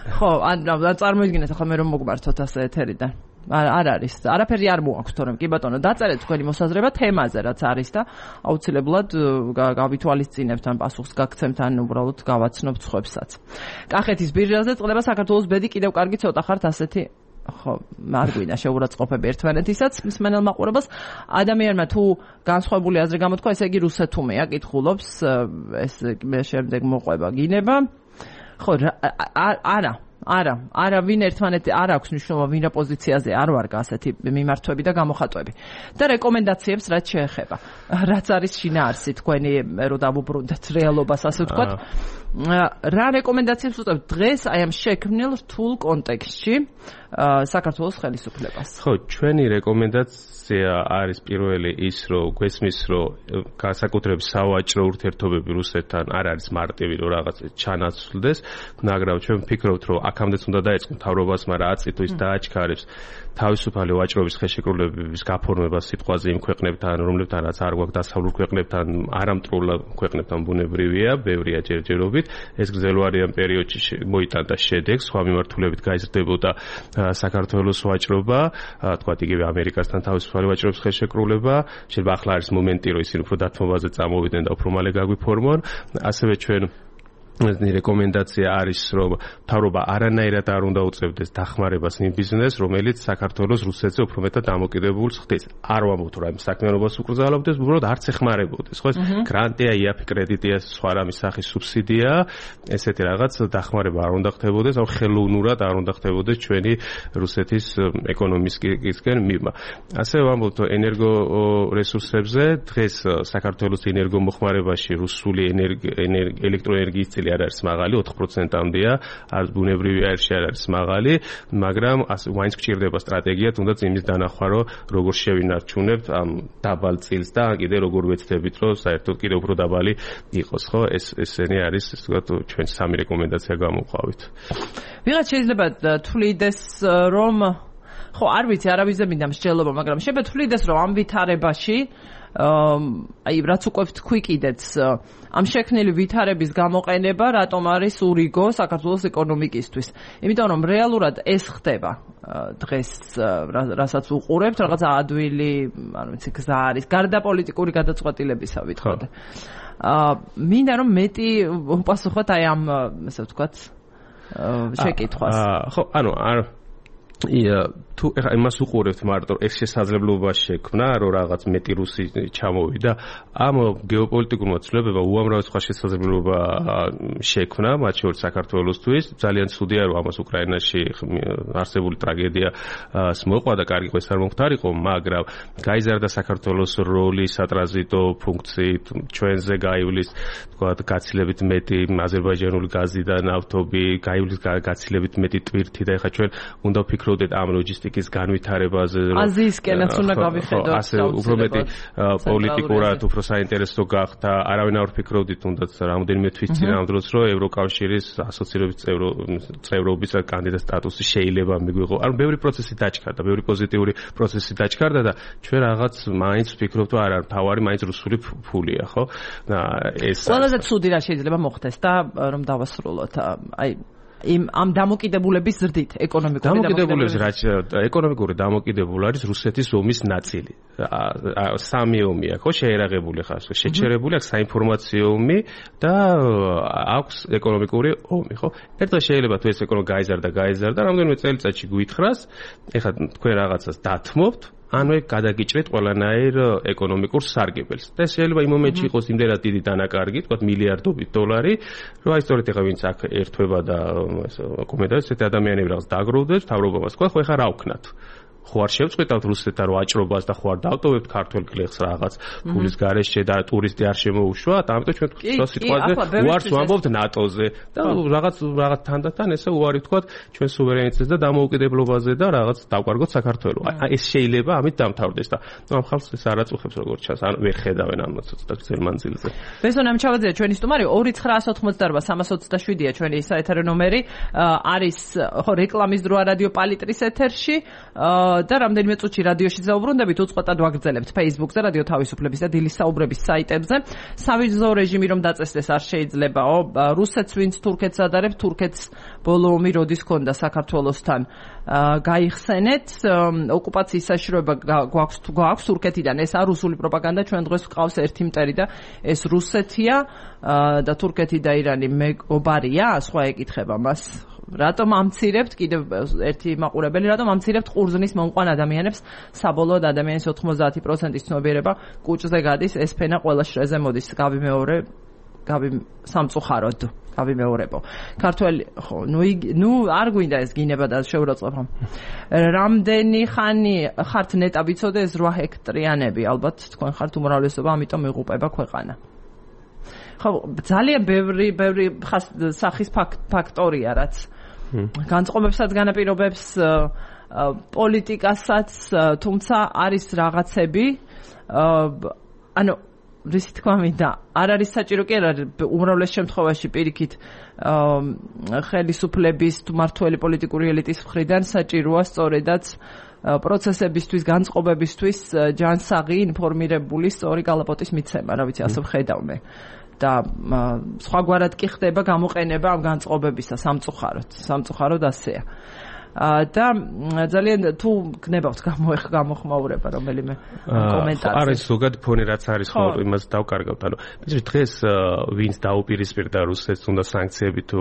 ხო, ან წარმოიდგინეთ ახლა მე რომ მოგმართოთ ასე ეთერიდან. არ არის. არაფერი არ მოაქვს, თორემ კი ბატონო, დაწერეთ თქვენი მოსაზრება თემაზე, რაც არის და აუცილებლად გავითვალისწინებთ ან პასუხს გაგცემთ ან უბრალოდ გავაცნობთ სხვებსაც. კახეთის ბირჟაზე წყდება საქართველოს ბედი, კიდევ კარგი ცოტა ხართ ასეთი ხო, არ გვინდა შეურაცხყოფები ერთმანეთისაც მსმენელ მაყურებელს. ადამიანმა თუ განსხვავებული აზრი გამოთქვა, ესე იგი რუსეთუმეა, კითხულობს, ეს შემდეგ მოყვება გინება. ხო, არა, არა ვინ ერთმანეთი არ აქვს მნიშვნელობა ვინ რა პოზიციაზე არ ვარ ასეთი მიმართვები და გამოხატვები და რეკომენდაციებს რაც შეეხება რაც არის შინაარსი თქვენი რო დავუბრუნდეთ რეალობას ასე ვთქვათ რა რეკომენდაციებს უწევთ დღეს აი ამ შექმნილ რთულ კონტექსტში საქართველოს ხელისუფლებას ხო ჩვენი რეკომენდაცია არის პირველი ის რომ გვესმის რომ განსაკუთრებით სავაჭრო ურთიერთობები რუსეთთან არ არის მარტივი რომ რაღაც ჩანაცვლდეს მაგრამ ჩვენ ვფიქრობთ რომ აქამდეც უნდა დაეწყო მთავრობას მაგრამ აწითო ის დააჩქარებს თავისუფალი ვაჭრობის ხელშეკრულებების გაფორმებას სიტყვაზე იმ ქვეყნებთან რომლებთანაც არ გვაქვს დასავლურ ქვეყნებთან არამტრულ ქვეყნებთან ბუნებრივია ბევრია ჯერჯერობით ეს გრძელვარიან პერიოდში მოიტანდა შედეგს სხვა მიმართულებით გაიზრდებოდა საქართველოს ვაჭრობა თქვათ იგივე ამერიკასთან თავისუფალი ვაჭრობის ხელშეკრულება შეიძლება ახლა არის მომენტი რომ ისინი უფრო დათმობაზე წამოვიდნენ და უფრო მალე გაგვიფორმონ ასევე ჩვენ რეკომენდაცია არის რომ მთავრობა არანაირად არ უნდა უწევდეს დახმარებას იმ ბიზნესს რომელიც საქართველოს რუსეთზე უფრო მეტად დამოკიდებულს ხდის არ ვამბობთ რომ ამ საქმიანობას უკრძალავდეს უბრალოდ არც ეხმარებოდეს ხო ეს გრანტია იაფი კრედიტია სხვა რამის სახის სუბსიდია ესეთი რაღაც დახმარება არ უნდა ხდებოდეს ან ხელოვნურად არ უნდა ხდებოდეს ჩვენი რუსეთის ეკონომიკისკენ მიღმა ასევე ვამბობთ ენერგო რესურსებზე დღეს საქართველოს ენერგომოხმარებაში რუსული ელექტროენერგიის წილი არ არის მაღალი 4%-ამდეა არ ბუნებრივი აირში არ არის მაღალი მაგრამ მაინც გჭირდება სტრატეგია თუნდაც იმის დანახვა რომ როგორ შევინარჩუნებთ ამ დაბალ წილს და კიდე როგორ ვეცდებით რომ საერთოდ კიდე უფრო დაბალი იყოს ხო ესენი არის ასე ვთქვათ ჩვენ სამი რეკომენდაცია გამოვყავით ვიღაც შეიძლება თვლიდეს რომ ხო არ ვიცი არავის δεν მინდა მსჯელობა მაგრამ შეიძლება თვლიდეს რომ ამ ვითარებაში აი რაც უკვე ვთქვი კიდეც ამ შექმნილი ვითარების გამოყენება რატომ არის ურიგო საქართველოს ეკონომიკისთვის იმიტომ რომ რეალურად ეს ხდება დღეს რასაც უყურებთ რაღაც ადვილი არ ვიცი გზა არის გარდა პოლიტიკური გადაწყვეტილებისა ვითხოვთ მინდა რომ მეტი უპასუხოთ აი ამ ასე ვთქვათ შეკითხვას ხო ანუ თუ ეხლა იმას უყურებთ მარტო ეს შესაძლებლობა შექმნა რომ რაღაც მეტი რუსი ჩამოვიდა ამ გეოპოლიტიკურმა ცვლილებებმა უამრავი სხვა შესაძლებლობა შექმნა მათ შორის საქართველოსთვის ძალიან ცუდია რომ ამას უკრაინაში არსებული ტრაგედია მოყვა და კარგი ეს არ მომხდარიყო მაგრამ გაიზარდა საქართველოს როლი სატრანზიტო ფუნქციით ჩვენზე გაივლის თქვათ გაცილებით მეტი აზერბაიჯანული გაზი და ნავთობი გაივლის გაცილებით მეტი ტვირთი და ეხლა ჩვენ უნდა ვფიქრობდეთ ამ ლოჯისტიკის განვითარებაზე აზიისკენაც უნდა გავიხედოთ ასე უფრო მეტი პოლიტიკურად უფრო საინტერესო გახდა არავინ არ ვფიქრობდით თუნდაც რამოდენიმე თვის წინამძღოლს რომ ევროკავშირის ასოცირების წევრობის კანდიდატ სტატუსი შეიძლება მიგვიღო ანუ ბევრი პროცესი დაჩქარდა ბევრი პოზიტიური პროცესი დაჩქარდა და ჩვენ რაღაც მაინც ვფიქრობთ რომ არ არის თავარი მაინც რუსული ფულია ხო ეს ყველაზე ცუდი რა შეიძლება მოხდეს და რომ დავასრულოთ აი ამ დამოკიდებულების ზრდით ეკონომიკური დამოკიდებულება არის რუსეთის ომის ნაწილი. სამი ომია, ხო, შეერაღებული ხარ, შეჩერებული აქვს საინფორმაციო ომი და აქვს ეკონომიკური ომი, ხო? ერთად შეიძლება თუ ეს ეკონომიკა გაიზარდა, რამდენიმე წელიწადში გვითხრას, ეხლა თქვენ რაღაცას დათმობთ ანუ გადაგიჭრეთ ყველანაირ ეკონომიკურ სარგებელს. და შეიძლება იმ მომენტში იყოს იმდენად დიდი დანაკარგი, თქვათ მილიარდობით დოლარი, რომ აი სწორედ ეხლა ვინც აქ ერთვება და კომენტარებს ესეთი ადამიანები რაღაც დაგროვდეს, თავრობამას თქვა, ხო ეხლა რა ვქნათ? ხო არ შევწყვეტავთ რუსეთთან ვაჭრობას და ხო არ დავტოვებთ ქართულ კლეხს რაღაც ფულის გარეშე და ტურისტი არ შემოუშვათ, ამიტომ ჩვენ თქვა სიტყვაზე უარს ვამბობთ ნატოზე და რაღაც თანდათან ესე უარი ვთქვათ ჩვენ სუვერენიტეტზე და დამოუკიდებლობაზე და რაღაც დავკარგოთ საქართველო. აი ეს შეიძლება ამით დამთავრდეს და ამ ხალხს ეს არ აწუხებს როგორც ჩანს, ან ვერ ხედავენ ამ ცოტა გრძელ მანძილზე. ბესონ ამჩავაძეა ჩვენი სტუმარი 2988-387-ია ჩვენი საეთერო ნომერი არის ხო რეკლამის დროა რადიო პალიტრის ეთერში და რამდენიმე წუთში რადიოში ზაუბრუნდებით უწყოტად ვაგრძელებთ Facebook-ზე რადიო თავისუფლების და დილის საუბრების საიტებზე. სავიზო რეჟიმი რომ დაწესდეს არ შეიძლებაო. რუსეთს ვინც თურქეთს ადარებს, თურქეთს ბოლო ომი როდის ჰქონდა საქართველოსთან გაიხსენეთ. ოკუპაციის საშიშროება გვაქვს თურქეთიდან. ეს არ რუსული პროპაგანდა, ჩვენ დღეს ვყავს ერთი მტერი და ეს რუსეთია და თურქეთი და ირანი მეგობარია, სხვა ეკითხება მას. რატომ ამცირებთ კიდევ ერთი მაყურებელი რატომ ამცირებთ ყურძნის მომყვან ადამიანებს საბოლოოდ ადამიანის 90% ცნობიერება კუჭზე გადის ეს ფენა ყველა შრეზე მოდის გავიმეორე სამწუხაროდ გავიმეორებო. ქართველი ხო, ნუ არ გვინდა ეს გინება და შეურაცხყოფა. რამდენი ხანი ხართ ნეტა ვიცოდე ეს 8 ჰექტარიანები, ალბათ თქვენ ხართ უმრავლესობა, ამიტომ იღუპება ქვეყანა. ხო, ძალიან ბევრი სახის ფაქტორია, რაც განწყობებსაც განაპირობებს პოლიტიკასაც, თუმცა არის რაღაცები, ანუ რისი თქვა მინდა, არ არის საჭირო კი არა უმრავლეს შემთხვევაში პირიქით ხელისუფლების თუ მმართველი პოლიტიკური ელიტის მხრიდან საჭიროა სწორედაც პროცესებისთვის, განწყობებისთვის ჯანსაღი ინფორმირებული სწორი გალაპოტის მიცემა, რა ვიცი, ასე ვხედავ მე. და სხვაგვარად კი ხდება გამოყენება ამ განწყობებისა სამწუხაროდ ასეა. და ძალიან თუ გნებავთ გამოხმაურება რომელიმე კომენტარი. არის ზოგადი ფონი რაც არის ხო იმას დავკარგავთ. ანუ დღეს ვინც დაუპირისპირდა რუსეთს უნდა სანქციები თუ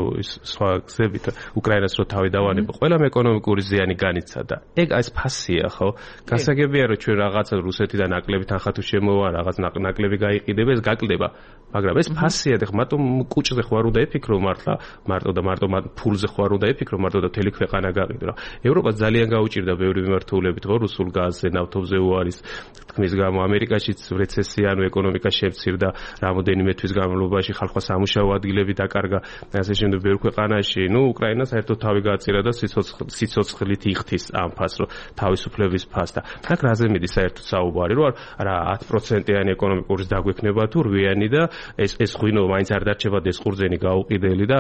სხვა გზებით უკრაინას რო თავი დავანებო. ყველამ ეკონომიკური ზიანი განიცადა. ეგ ეს ფასია ხო? გასაგებია რომ ჩვენ რაღაცა რუსეთიდან ნაკლები თანხა თუ შემოვა, რაღაც ნაკლები გაიყიდება, ეს გაკლდება. მაგრამ ეს ფასია და მარტო კუჭზე ხوار უნდა ეფიქრო მარტო ფულზე ხوار უნდა ეფიქრო მარტო და მთელი ქვეყანა გაყიდო. ევროპას ძალიან გაუჭირდა ბევრი მიმართულებით ხო რუსულ გაზზე, ნავთობზე უარის თქმის გამო ამერიკაშიც რეცესია, ანუ ეკონომიკა შემცირდა, რამოდენიმე თვის განმავლობაში ხალხმა სამუშაო ადგილები დაკარგა, ასე შემდეგ ბევრ ქვეყანაში. ნუ უკრაინას საერთოდ თავი გააწირა და სიცოცხლით იხთის ამ ფასს, რომ თავისუფლების ფასს და აქ რაზე მიდის საერთოდ საუბარი, რომ რა 10%-იანი ეკონომიკის დაგვექნება თუ 8-იანი და ეს ღვინო მაინც არ დარჩება დესყურძენი გაუყიდელი და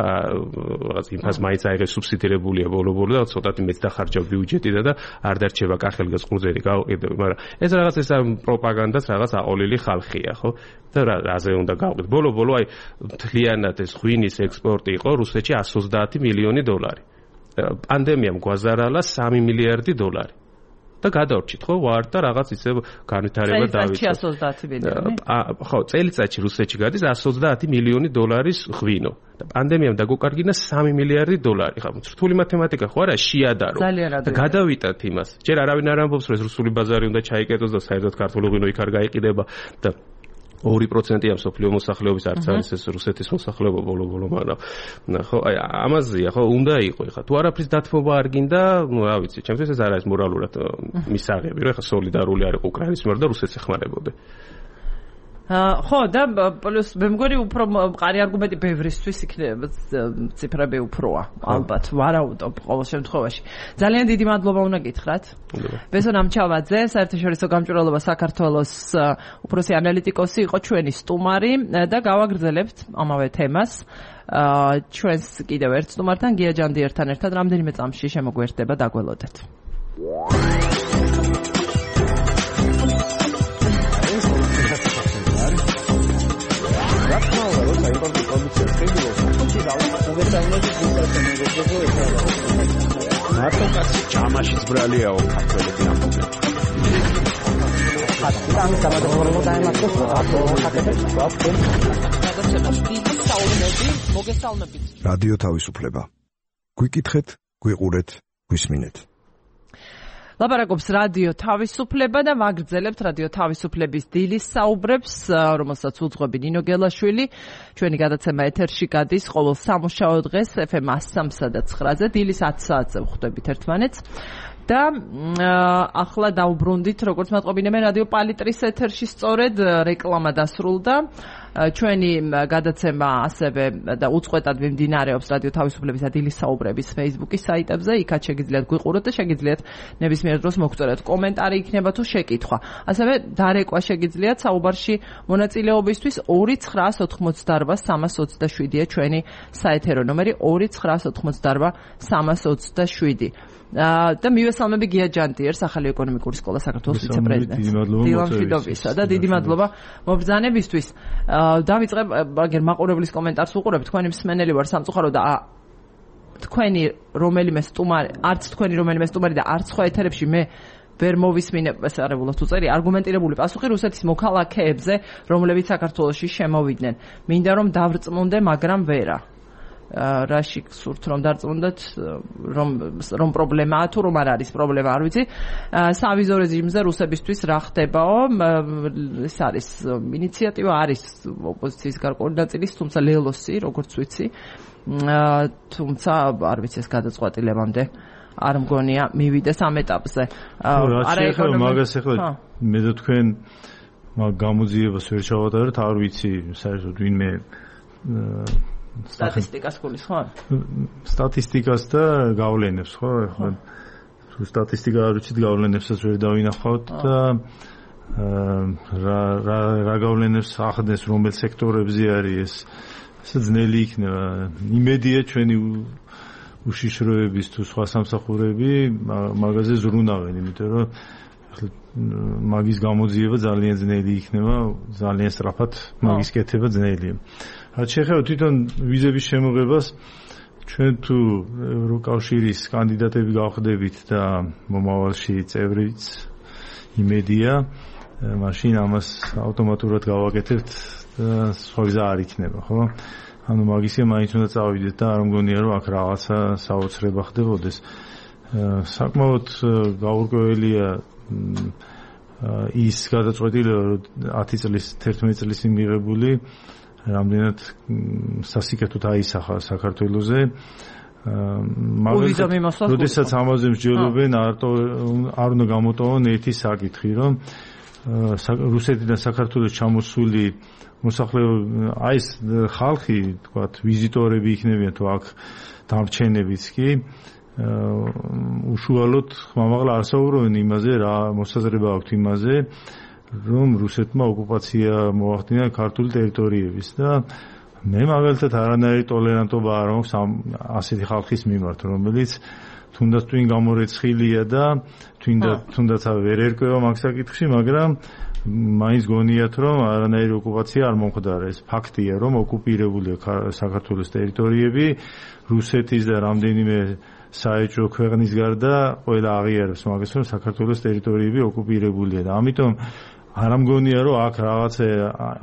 რაღაც იმას მაინც აიღეს სუბსიდირებულია ბოლო-ბოლო და ცოტა მეც დახარჯავ ბიუჯეტიდან და არ დარჩება კახელგას ყურძენი გაუყიდები, მაგრამ ეს რაღაც ეს პროპაგანდას რაღაც აყოლილი ხალხია, ხო? და რაზე უნდა გავყიდო. ბოლო-ბოლო აი მთლიანად ეს ღვინის ექსპორტი იყო რუსეთში 130 მილიონი დოლარი. პანდემიამ გვაზარალა 3 მილიარდი დოლარი. და გადავრჩით ხო ვარ და რაღაც ისე განვითარება დავიწყეთ. 130 მილიონი. ხო, წელიწადში რუსეთში გადის 130 მილიონი დოლარის ღვინო. და პანდემიამ დაგუკარგინა 3 მილიარდი დოლარი. ხა რთული მათემატიკა ხო არა შეადარო. და გადავიტანთ იმას. ჯერ არავინ არ ამბობს რომ რუსული ბაზარი უნდა ჩაიკეტოს და საერთოდ ქართული ღვინო იქ არ გაიყიდება და 2%-ია მსოფლიო მოსახლეობის არც არის ეს რუსეთის მოსახლეობა ბოლო-ბოლო, მაგრამ ხო აი ამაზეა ხო უნდა იყო ხა თუ არაფრის დათმობა არ გინდა, ნუ რა ვიცი, ჩემთვის ეს არ არის მორალურად მისაღები, რომ ხა სოლიდარული არ იყო უკრაინის მიერ და რუსეთს ეხმარებოდა. ხო და პლუს მე მგონი უფრო მყარი არგუმენტი ბევრისთვის იქნება ციფრები უფროა ალბათ ვარაუდობ ყოველ შემთხვევაში ძალიან დიდი მადლობა უნდა გითხრათ ბესონ ამჩავაძე საერთაშორისო გამჭვირვალობა საქართველოს უფროსი ანალიტიკოსი იყო ჩვენი სტუმარი და გავაგრძელებთ ამავე თემას ჩვენს კიდევ ერთ სტუმართან გია ჯანდიერთან ერთად რამდენიმე წამში შემოგვერდება დაგველოდეთ მარტო კაცი ჯამაშიც ბრალიაო ქართველები ამბობენ. ამის გამოდობრობა დაემართოს რადიო თავისუფლება. გვიკითხეთ, გვიყურეთ, გვისმინეთ. ლაპარაკობს რადიო თავისუფლება და ვაგრძელებთ რადიო თავისუფლების დილის საუბრებს, რომელსაც უძღვები ნინო გელაშვილი. ჩვენი გადაცემა ეთერში გადის ყოველ სამუშაო დღეს FM 103 და 9-ზე, დილის 10 საათზე ვხვდებით ერთმანეთს. და ახლა დაუბრუნდით, როგორც მატყობინებენ რადიო პალიტრის ეთერში სწორედ რეკლამა დასრულდა. ჩვენი გადაცემა ასევე და უწყვეტად მიმდინარეობს რადიო თავისუფლების და დილის საუბრების Facebook-ის საიტებზე. იქაც შეგიძლიათ გვიყუროთ და შეგიძლიათ ნებისმიერ დროს მოგწეროთ კომენტარი იქნება თუ შეკითხვა. ასევე დარეკვა შეგიძლიათ საუბარში მონაწილეობისთვის 2988327-ია ჩვენი საეთერო ნომერი 2988327. და მივესალმები გია ჯანდიერს, ახალი ეკონომიკური სკოლა საქართველოს ვიცე-პრეზიდენტს. დილამშვიდობისა და დიდი მადლობა მობრძანებისთვის. დავიწყებ აგერ მაყურებლის კომენტარს უყურებ, თქვენი მსმენელი ვარ სამწუხარო და თქვენი რომელიმე სტუმარი, არც თქვენი რომელიმე სტუმარი და არც სხვა ეთერებში მე ვერ მოვისმინე, ეს არებულად უწერი, არგუმენტირებული პასუხი რუსეთის მოქალაქეებზე, რომლებიც საქართველოში შემოვიდნენ. მინდა რომ დავრწმუნდე, მაგრამ ვერა. რაში გსურთ რომ დარწმუნდეთ რომ პრობლემაა თუ რომ არ არის პრობლემა არ ვიცი სავიზო რეჟიმზე რუსებისთვის რა ხდებაო ეს არის ინიციატივა არის ოპოზიციის გარკვეული ნაწილის თუმცა ლელოსი როგორც ვიცი თუმცა არ ვიცი ეს გადაწყვეტილებამდე არ მგონია მივიდეს ამ ეტაპზე არა ეკონომიკა მაგას ახლა მე და თქვენ მაგ გამოძიებას ვერ ჩავატარეთ არ ვიცი საერთოდ ვინმე სტატისტიკას გulis ხო? სტატისტიკას და გავლენებს ხო? ახლა თუ სტატისტიკა არ ვიცით გავლენებსაც ვერ დავინახავთ და რა გავლენებს ახდენს რომელ სექტორებზე არის ეს ძნელი იქნება. იმედია ჩვენი უშიშროების თუ სხვა სამსახურები მაგაზე ზრუნავენ, იმიტომ რომ მაგის გამოძიება ძალიან ძნელი იქნება, ძალიან სწრაფად მაგის კეთება ძნელია. რაც შეეხება თვითონ ვიზების შემოღებას, ჩვენ თუ ევროკავშირის კანდიდატები გავხდებით და მომავალში წევრიც იმედია, მაშინ ამას ავტომატურად გავაკეთებთ და სხვა ვიზა არ იქნება, ხო? ანუ მაგისია მაინც უნდა წავიდეთ და არ მგონია რომ აქ რაღაცა საოცრება ხდებოდეს. საკმაოდ გაურკვეველია ის გადაწყვეტილება რომ 10 წლის 11 წლის მიღებული რამდენად სასიკეთოდ აისახა საქართველოზე როდესაც ამაზე მსჯელობენ არ უნდა გამოტოვონ ერთი საკითხი რომ რუსეთიდან საქართველოს ჩამოსული მოსახლეობა აი ეს ხალხი თქვათ ვიზიტორები იქნებიან თუ აქ დამრჩენებიც კი უშუალოდ ხმამაღლა არ საუბრობენ იმაზე რა მოსაზრება აქვთ იმაზე რომ რუსეთმა ოკუპაცია მოახდინა ქართული ტერიტორიების და მე მაგალითად არანაირი ტოლერანტობა არ მაქვს ასეთი ხალხის მიმართ რომელიც თუნდაც twin გამორეცხილია და თუნდაც ვერ ერკვევა მაგ საკითხში მაგრამ მაინც გონიათ რომ არანაირი ოკუპაცია არ მომხდარა ეს ფაქტია რომ ოკუპირებულია საქართველოს ტერიტორიები რუსეთის და რამდენიმე საეჭვო ქვეყნის გარდა ყველა აღიარებს მაგას რომ საქართველოს ტერიტორიები ოკუპირებულია და ამიტომ არ ამგონია რომ აქ რაღაცა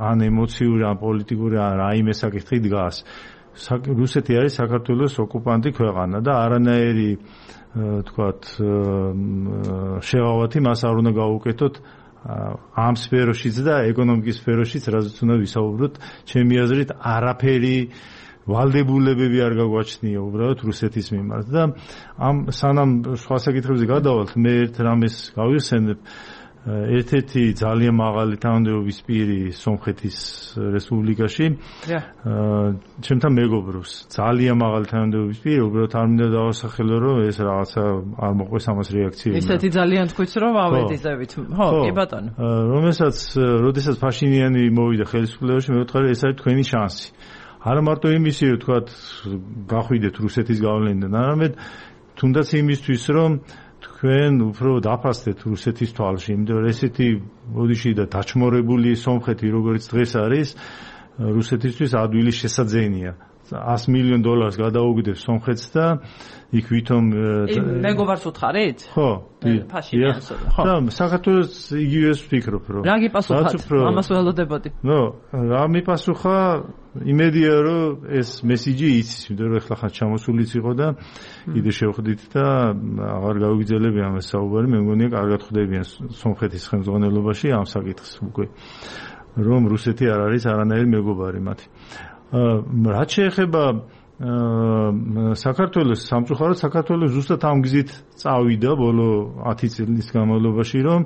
ან ემოციური ან პოლიტიკური ან რაიმე საკითხი დგას რუსეთი არის საქართველოს ოკუპანტი ქვეყანა და არანაირი თქვათ შევავათი მას არ უნდა გაუკეთოთ ამ სფეროშიც და ეკონომიკის სფეროშიც რაზეც უნდა ვისაუბროთ ჩემი აზრით არაფერი ვალდებულებები არ გაგვაჩნია უბრალოდ რუსეთის მიმართ და ამ სანამ სხვა საკითხებზე გადავალთ მე ერთ რამეს გავიხსენებ ერთ-ერთი ძალიან მაღალი თანამდებობის პირი სომხეთის რესპუბლიკაში ჩემთან მეგობრობს ძალიან მაღალი თანამდებობის პირი უბრალოდ არ მინდა დავასახელო რომ ეს რაღაცა არ მოყვეს ამას რეაქცია ისეთი ძალიან თქვით რომ ავედიზებით ხო კი ბატონო როდესაც ფაშინიანი მოვიდა ხელისუფლებაში მე ვთქვი ეს არის თქვენი შანსი არა მარტო იმისი რომ თქვათ გახვიდეთ რუსეთის გავლენიდან არამედ თუნდაც იმისთვის რომ თქვენ უფრო დაფასდეთ რუსეთის თვალში იმიტომ რომ ესეთი ბოდიში და დაჩმორებული სომხეთი როგორც დღეს არის რუსეთისთვის ადვილი შესაძენია $100 მილიონ გადაუგდებს სომხეთს და იქ ვითომ მეგობარს უთხარით? ხო, ფაშინიანს ხო. და საქართველოს იგივეს ვფიქრობ რომ რა გიპასუხათ? ამას ველოდებოდი. რა მიპასუხა იმედია რომ ეს მესიჯი იცის, იმიტომ რომ ეხლა ხან ჩამოსულიც იყო და კიდე შევხვდით და აღარ გავიგრძელებია ამას საუბარი, მე მგონია კარგად ხვდებიან სომხეთის ხელმძღვანელობაში ამ საკითხს უკვე რომ რუსეთი არ არის არანაირი მეგობარი მათი. რაც შეეხება საქართველოს სამწუხაროდ საქართველოს ზუსტად ამ გზით წავიდა ბოლო 10 წლის განმავლობაში რომ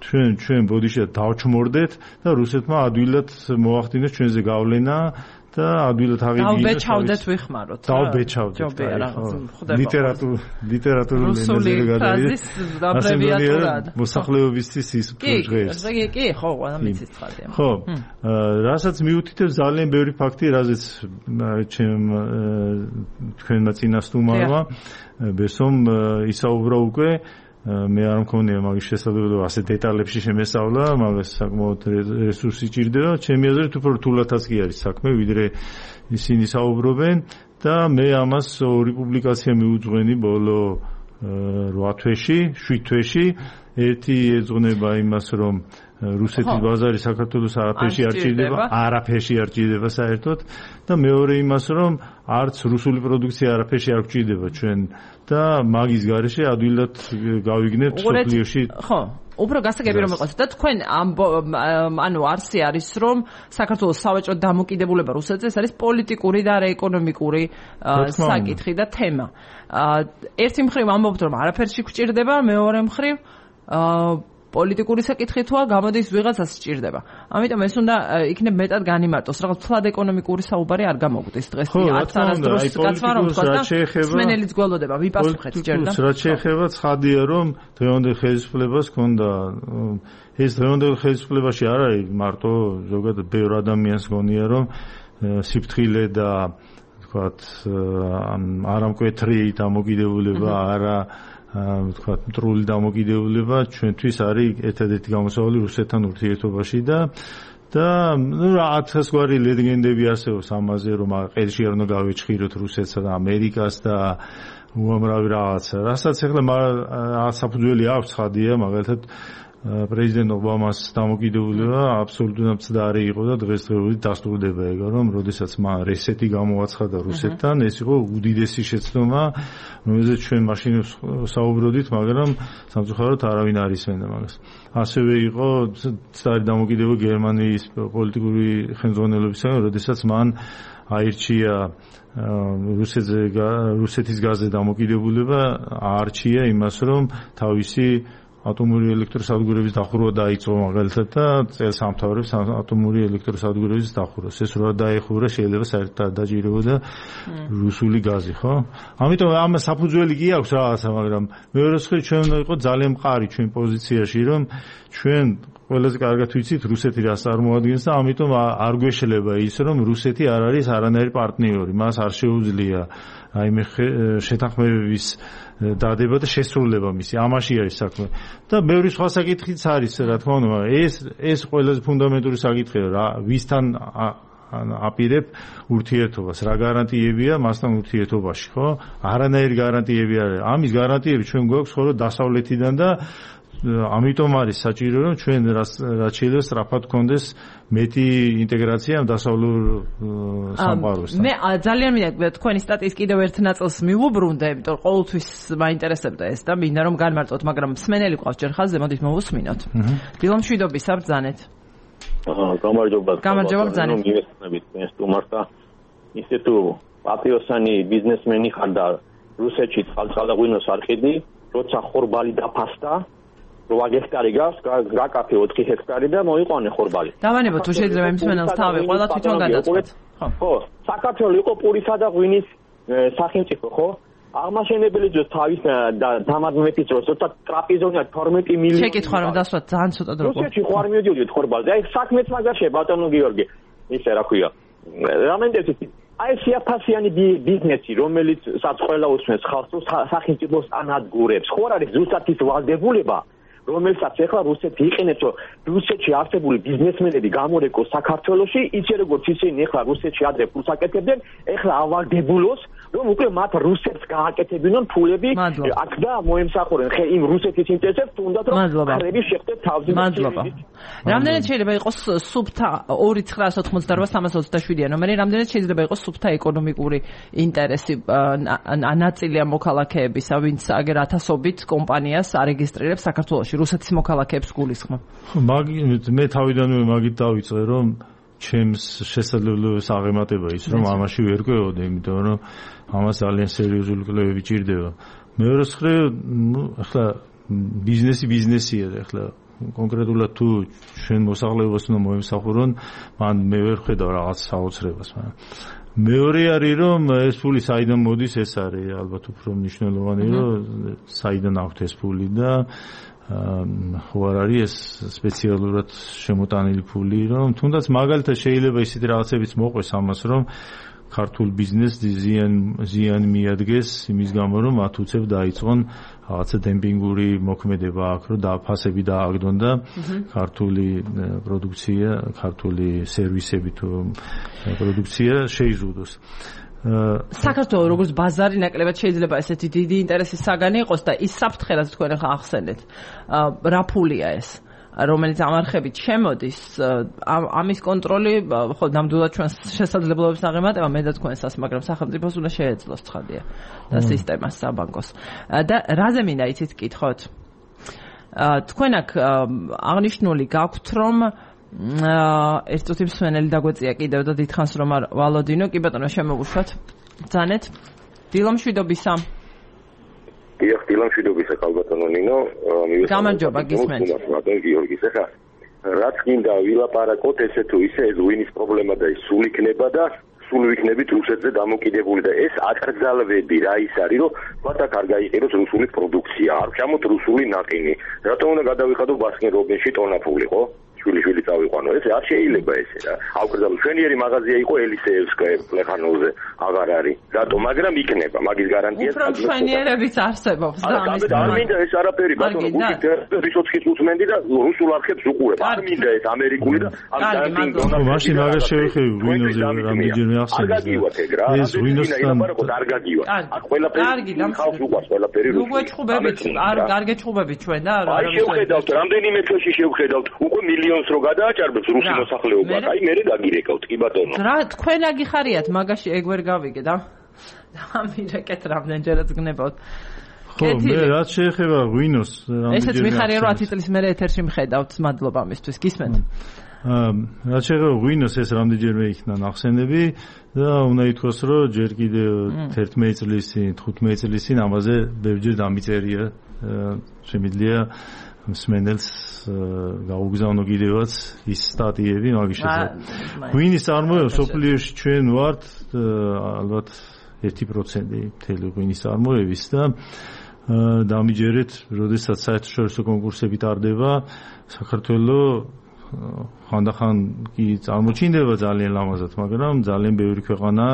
ჩვენ ბოდიშად დავჩმორდეთ და რუსეთმა ადვილად მოახდინეს ჩვენზე გავლენა და ადვილად აღიდგინეს დავბეჭავდეთ ვიხმაროთ დავბეჭავდეთ ლიტერატურული ენაზე გადავიდეთ აბრევიატურად მოსახლეობისთვის ის პროგრესი კი ხო ამიცით ხარდია ხო რასაც მიუთითებს ძალიან ბევრი ფაქტი რაზეც თქვენმა წინასწარმოებმა ბესომ ისაუბრა უკვე მე არ მქონია მაგის შესაძლებლობა ასე დეტალებში შემესწავლა, მაგას საკმაოდ რესურსი ჭირდება. ჩემი აზრით უფრო რთულადაც კი არის საქმე, ვიდრე ისინი საუბრობენ და მე ამას ორი პუბლიკაცია მიუძღვენი ბოლო 8 თვეში, 7 თვეში. ერთი ეძღვნება იმას, რომ რუსეთის ბაზარი საქართველოს არაფერში არ ჭირდება საერთოდ და მეორე იმას, რომ არც რუსული პროდუქცია არაფერში არ გვჭირდება ჩვენ და მაგის გარეშე ადვილად გავიგნებთ სოფლიოში. ხო, უფრო გასაგები რომ იყოს და თქვენ ანუ არსი არის რომ საქართველოს სავაჭრო დამოკიდებულება რუსეთზე ეს არის პოლიტიკური და არა ეკონომიკური საკითხი და თემა. ერთი მხრივ ამბობთ რომ არაფერში გვჭირდება, მეორე მხრივ პოლიტიკური საკითხი თუა გამოდის ვიღაცას სჭირდება. ამიტომ ეს უნდა იქნებ მეტად განიმარტოს. რაღაც თლად ეკონომიკური საუბარი არ გამოგვდის დღეს. არც არასდროს კაცმა რომ თქვა და სმენელიც გველოდება ვიპასუხეთ ჯერდა. რაც შეეხება ცხადია რომ დღევანდელ ხელისუფლებას ჰქონდა ეს დღევანდელ ხელისუფლებაში არ არის მარტო ზოგადად ბევრ ადამიანს გონია რომ სიფრთხილე და თქვათ არამკვეთრი დამოკიდებულება არა თქვათ მტრული დამოკიდებულება ჩვენთვის არის ერთადერთი გამოსავალი რუსეთთან ურთიერთობაში და რაღაც გვარი ლეგენდები არსებობს ამაზე რომ ყელში არ უნდა გავეჭხიროთ რუსეთსა და ამერიკას და უამრავი რაღაცა რასაც ახლა საფუძველი აქვს ხადია მაგალითად პრეზიდენტ ობამას დამოკიდებულება აბსოლუტურად მცდარი იყო და დღესდღეობით დასტურდება ეგ რომ როდესაც მან რესეტი გამოაცხადა რუსეთთან ეს იყო უდიდესი შეცდომა რომელზეც ჩვენ მაშინ საუბრობდით მაგრამ სამწუხაროდ არავინ არ ისმენდა მაგას ასევე იყო მცდარი დამოკიდებულება გერმანიის პოლიტიკური ხელმძღვანელობისგან როდესაც მან აირჩია რუსეთის გაზზე დამოკიდებულება აარჩია იმას რომ თავისი ატომური ელექტროსადგურების დახურვა დაიწყო მაგალითად და წელს ამთავრებს ატომური ელექტროსადგურების დახურვას. ეს რა დაეხურა შეიძლება საერთოდ დაჭირებოდა რუსული გაზი, ხო? ამიტომ ამ საფუძველი კი აქვს რაღაცა, მაგრამ მეორე მხრივ ჩვენ უნდა იყო ძალიან მყარი ჩვენ პოზიციაში, რომ ჩვენ ყველაზე კარგად ვიცით რუსეთი რას წარმოადგენს და ამიტომ არ გვეშლება ის, რომ რუსეთი არ არის არანაირი პარტნიორი, მას არ შეუძლია აი მე შეთანხმებების დადება და შესრულება მისი ამაში არის საქმე და ბევრი სხვა საკითხიც არის რა თქმა უნდა ეს ყველაზე ფუნდამენტური საკითხია რა ვისთან აპირებ ურთიერთობას რა გარანტიებია მასთან ურთიერთობაში ხო არანაირი გარანტიები არ არის ამის გარანტიები ჩვენ გვაქვს ხოლმე დასავლეთიდან და ამიტომ არის საჭირო რომ ჩვენ რაც შეიძლება სწრაფად გქონდეს მეტი ინტეგრაცია დასავლურ სამყაროსთან. მე ძალიან მინდა თქვენი სტატიის კიდევ ერთ ნაწილს მივუბრუნდე, იმიტომ რომ ყოველთვის მაინტერესებდა ეს და მინდა რომ განმარტოთ, მაგრამ მსმენელი ყავს ჯერ ხაზზე, მოდით მოვუსმინოთ. დილომშვიდობის საბრძანეთ. გამარჯობა. გამარჯობა ბრძანეთ. მივესწრებით ეს თუმცა ისე თუ პატრიოტსანი ბიზნესმენი ხარ და რუსეთში წყალწალაღვინოს არ ყიდი, როცა ხორბალი დაფასდა რვა ჰექტარი გავს, გაკაფე 4 ჰექტარი და მოიყვანე ხორბალი. დავანებო თუ შეიძლება იმ მსმენელს თავი, ყველა თვითონ გადაწყვეტ. ხო, საქართველოს იყო პურისა და ღვინის სახელმწიფო, ხო? აღმაშენებელი ძოს თავის დამადმეთის დროს, თორსა ტრაპიზონია 12 მილიონი. შეკითხვა რომ დასვათ ძალიან ცოტა დრო. რუსეთში ხوار მიდიოდით ხორბალზე. აი საქმეც მაგაშია ბატონო გიორგი. ისე რა ქვია. რამენდეცით აი შეაფასიანი ბიზნესი, რომელიც საწყყველა უსმენს ხალხს სახელმწიფოს ანადგურებს. ხო არ არის ზუსტად ის ვალდებულება რომელსაც ახლა რუსეთი იყენებს, რომ რუსეთში არსებული ბიზნესმენები გამორეკოს საქართველოში, ისე როგორც ისინი ახლა რუსეთში ადრე ფულს აკეთებდნენ, ახლა ავალდებულოს, რომ უკვე მათ რუსეთს გააკეთებინონ ფულები, აქ და მოემსახურენ იმ რუსეთის ინტერესებს, თუნდაც რომ ხარები შეხვდეთ თავზე. მადლობა. რამდენად შეიძლება იყოს სუფთა 2988-327 ნომერი, რამდენად შეიძლება იყოს სუფთა ეკონომიკური ინტერესი ნაწილია მოქალაქეებისა, ვინც აგერ ათასობით კომპანიას არეგისტრირებს საქართველოში რუსეთის მოქალაქეებს გულისხმობ. მე თავიდანვე მაგით დავიწყე, რომ ჩემს შესაძლებლობას აღემატება ის, რომ ამაში ვერ კვეოდე, იმიტომ რომ ამას ძალიან სერიოზული კვლევები ჭირდება. მეორე მხრივ, ახლა ბიზნესია და ახლა კონკრეტულად თუ ჩვენ მოსახლეობას უნდა მოემსახურონ, მან მე ვერ ხედავ რაღაც საოცრებას, მაგრამ მეორე არის რომ ეს ფული საიდან მოდის, ეს არის ალბათ უფრო მნიშვნელოვანი, რომ საიდან აქვს ეს ფული და ხო არ არის ეს სპეციალურად შემოტანილი ფული, რომ თუნდაც მაგალითად შეიძლება ისეთი რაღაცებიც მოყვეს ამას, რომ ქართულ ბიზნესს ზიანი მიადგეს იმის გამო, რომ მათ უცებ დაიწყონ რაღაცა დემპინგური მოქმედება აქ, რომ ფასები დააგდონ და ქართული პროდუქცია, ქართული სერვისები თუ პროდუქცია შეიზრდოს. საქართველოს როგორც ბაზარი ნაკლებად შეიძლება ესეთი დიდი ინტერესის საგანი იყოს და ის საფრთხე რაც თქვენ ახლა ახსენეთ რა ფულია ეს რომელიც ამარხებით შემოდის ამის კონტროლი ხო ნამდვილად ჩვენს შესაძლებლობებს აღემატება მე და თქვენსაც მაგრამ სახელმწიფოს უნდა შეეძლოს ცხადია და სისტემას საბანკოს და რაზე მინდა იცით გკითხოთ თქვენ აქ აღნიშნული გაქვთ რომ ერთ წუთი მსვენელი დაგვეწია კიდევ და დიდხანს რომ არ ვალოდინო კი ბატონო შემოგუშვათ ბრძანეთ დილომშვიდობისა დიახ დილომშვიდობისა კალბატონო ნინო გამარჯობა გისმენთ ბატონ გიორგის ახლა რაც გინდა ვილაპარაკოთ ესე თუ ისე ეს ვინის პრობლემა და ის სულ იქნება და სულ ვიქნებით რუსეთზე დამოკიდებული და ეს აკრძალვები რა ის არის რომ მათ აქ არ გაიყიდოს რუსული პროდუქცია არ ჩამოთ რუსული ნაყინი რატომ უნდა გადავიხადო ბასკინ რობინსში ტონაფული ხო შვილი წავიყვანო ეს არ შეიძლება ესე რა აკრძალო შვენიერი მაღაზია იყო ელისეევსკაია პლეხანოვზე აღარ არის რატო მაგრამ იქნება მაგის გარანტია უფრო შვენიერებიც არსებობს და ამის არ მინდა ეს არაფერი ბატონო გუშინ რისოცხის უსმენდი და რუსულ არხებს უყურებ არ მინდა ეს ამერიკული და ამ დანტინგ მაშინ მაგას შევიხები ვინოზე რამდენჯერმე ახსენეთ ეს ვინოსთან არ გაგივა აქ ყველაფერი ხალხს უყვარს ყველაფერი რუსული უგეჭუბებით არ გარგეჭუბებით ჩვენ და აი შევხედავთ რამდენიმე წელში შევხედავთ უკვე მილიონს რო გადააჭარბებს რუსი მოსახლეობა აი მე დაგირეკავთ კი ბატონო რა თქვენ აგიხარიათ მაგაში ეგ ვერ გავიგე და ამირეკეთ რამდენჯერაც გნებავთ ხო მე რაც შეეხება ვინოს ესეც მიხარია რომ 10 წლის მერე ეთერში მხედავთ მადლობა ამისთვის გისმენთ რაც შეეხება ვინოს ეს რამდენჯერმე იქნა ნახსენები და უნდა ითქვას რომ ჯერ კიდევ 11 წლის წინ 15 წლის წინ ამაზე ბევრჯერ დამიწერია შემიძლია მსმენელს გაუგზავნო კიდევაც ის სტატიები მაგის შესახებ. ღვინის წარმოება სოფლიოში ჩვენ ვართ ალბათ 1% მთელი ღვინის წარმოების და დამიჯერეთ, როდესაც საერთაშორისო კონკურსები ტარდება, საქართველოს ხანდახან კი წარმოჩინდება ძალიან ლამაზად, მაგრამ ძალიან ბევრი ქვეყანა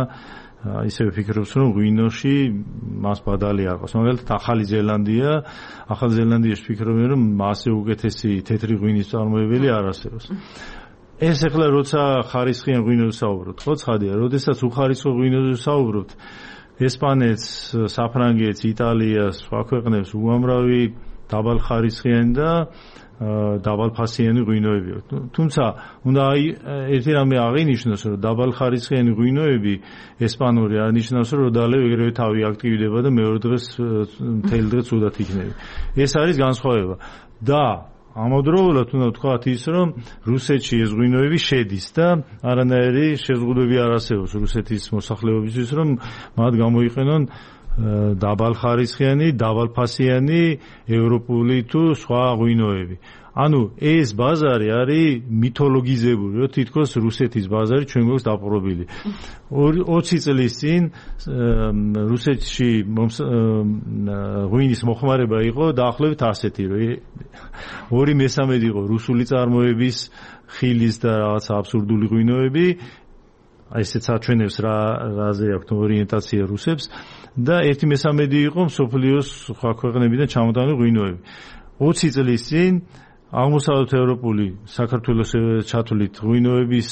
ისევ ფიქრობს რომ ღვინოში მას ბადალი არ ყავს. მაგალითად ახალი ზელანდიაში ფიქრობენ რომ მასე უკეთესი თეთრი ღვინის წარმოებელი არ არსებობს. ეს ახლა როცა ხარისხიან ღვინოზე საუბრობთ, ხო ცხადია, როდესაც უხარისხო ღვინოზე საუბრობთ, ესპანეთს, საფრანგეთს, იტალიას, სხვა ქვეყნებს უამრავი დაბალხარისხიანი და დაბალფასიანი ღვინოები აქვს. თუმცა უნდა ერთი რამე აღინიშნოს, რომ დაბალხარისხიანი ღვინოები ესპანური არ ნიშნავს, რომ დალევ ეგრევე თავი აქტივდება და მეორე დღეს მთელი დღე ცუდად იქნება. ეს არის განსხვავება. და ამავდროულად უნდა ვთქვათ ის, რომ რუსეთში ეს ღვინოები შედის და არანაირი შეზღუდვები არ არსებობს რუსეთის მოსახლეობისთვის, რომ მათ გამოიყენონ დაბალხარისხიანი, დაბალფასიანი, ევროპული თუ სხვა ღვინოები. ანუ ეს ბაზარი არის მითოლოგიზებული, რომ თითქოს რუსეთის ბაზარი ჩვენ გვაქვს დაპყრობილი. 20 წლის წინ რუსეთში ღვინის მოხმარება იყო დაახლოებით ასეთი, რომ 2/3 იყო რუსული წარმოების ხილის და რაღაც აბსურდული ღვინოები. ესეც აჩვენებს რაზე აქვს ორიენტაცია რუსებს. და 1/3 იყო მსოფლიოს სხვა ქვეყნებიდან ჩამოტანილი ღვინოები. 20 წლის წინ აღმოსავლეთ ევროპული საქართველოს ჩათვლით ღვინოების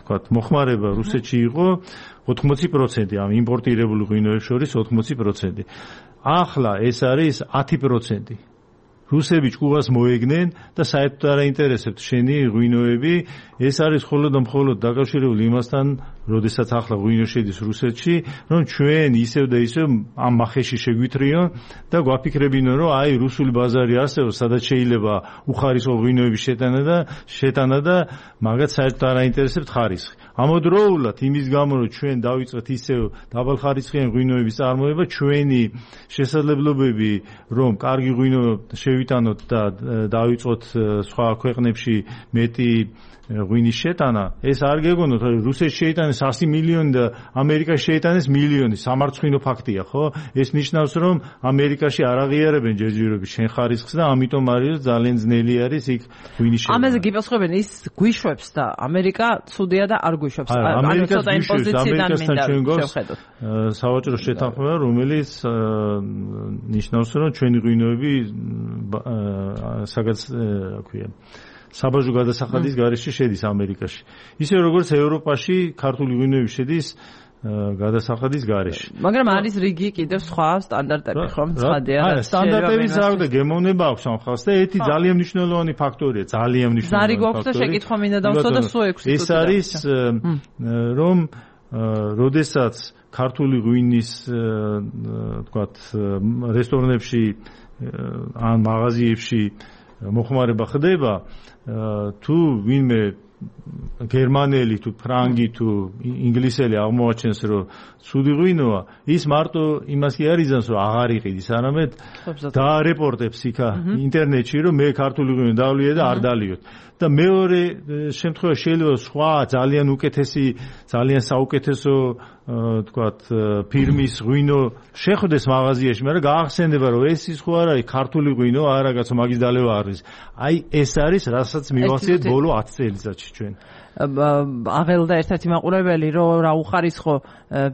თქვათ მოხმარება რუსეთში იყო 80%, ამ იმპორტირებული ღვინოებს შორის 80%. ახლა ეს არის 10%. რუსები ჭკუას მოეგნენ და საერთოდ არ აინტერესებთ შენი ღვინოები, ეს არის მხოლოდ და მხოლოდ დაკავშირებული იმასთან, როდესაც ახლა ღვინო შედის რუსეთში, რომ ჩვენ ისევ და ისევ ამ მახეში შეგვითრიონ და გვაფიქრებინონ, რომ აი რუსული ბაზარი არსებობს, სადაც შეიძლება უხარისხო ღვინოების შეტანა და მაგათ საერთოდ არ აინტერესებთ ხარისხი. ამავდროულად იმის გამო, რომ ჩვენ დავიწყეთ ისევ დაბალხარისხიანი ღვინოების წარმოება, ჩვენი შესაძლებლობები, რომ კარგი ღვინო შევიტანოთ და დავიწყოთ სხვა ქვეყნებში მეტი ღვინის შეტანა, ეს არ გეგონოთ, რომ რუსეთში შეიტანეს 100 მილიონი და ამერიკაში შეიტანეს მილიონი, სამარცხინო ფაქტია, ხო? ეს ნიშნავს, რომ ამერიკაში არ აღიარებენ ჯერჯერობით შენ ხარისხს და ამიტომ არის ძალიან ძნელი არის იქ ღვინის შეტანა. ამაზე გიპასუხებენ ის გვიშვებს და ამერიკა ცუდია და არ გვიშვებს. ანუ ცოტა იმ პოზიციიდან მინდა შევხედოთ. სავაჭრო შეთანხმება, რომელიც ნიშნავს, რომ ჩვენი ღვინოები საბაჟო გადასახადის გარეშე შედის ამერიკაში. ისე როგორც ევროპაში ქართული ღვინოები შედის გადასახადის გარეშე. მაგრამ არის რიგი კიდევ სხვა სტანდარტები ხომ ცხადია რა. სტანდარტების ზარდა გემოვნება აქვს ამ ხალხს და ერთი ძალიან მნიშვნელოვანი ფაქტორია, ძალიან მნიშვნელოვანი. ზარი გვაქვს და შეკითხვა მინდა დავსვა და სულ 6 წუთი. ეს არის რომ როდესაც ქართული ღვინის თქვათ რესტორნებში ან მაღაზიებში მოხმარება ხდება, თუ ვინმე გერმანელი თუ ფრანგი თუ ინგლისელი აღმოაჩენს რომ ცუდი ღვინოა, ის მარტო იმას კი არ იზამს რომ აღარ იყიდის, არამედ დაარეპორტებს იქა ინტერნეტში რომ მე ქართული ღვინო დავლია და არ დალიოთ. და მეორე შემთხვევაში შეიძლება სხვა ძალიან უკეთესი, ძალიან საუკეთესო თქვათ ფირმის ღვინო შეხვდეს მაღაზიაში, მაგრამ გაახსენდება რომ ეს ის ხო არა, ქართული ღვინო არა კაცო, მაგის დალევა არის. აი ეს არის, რასაც მივახციეთ ბოლო 10 წელიწადში ჩვენ. აღელდა ერთ-ერთი მაყურებელი რომ რა უხარისხო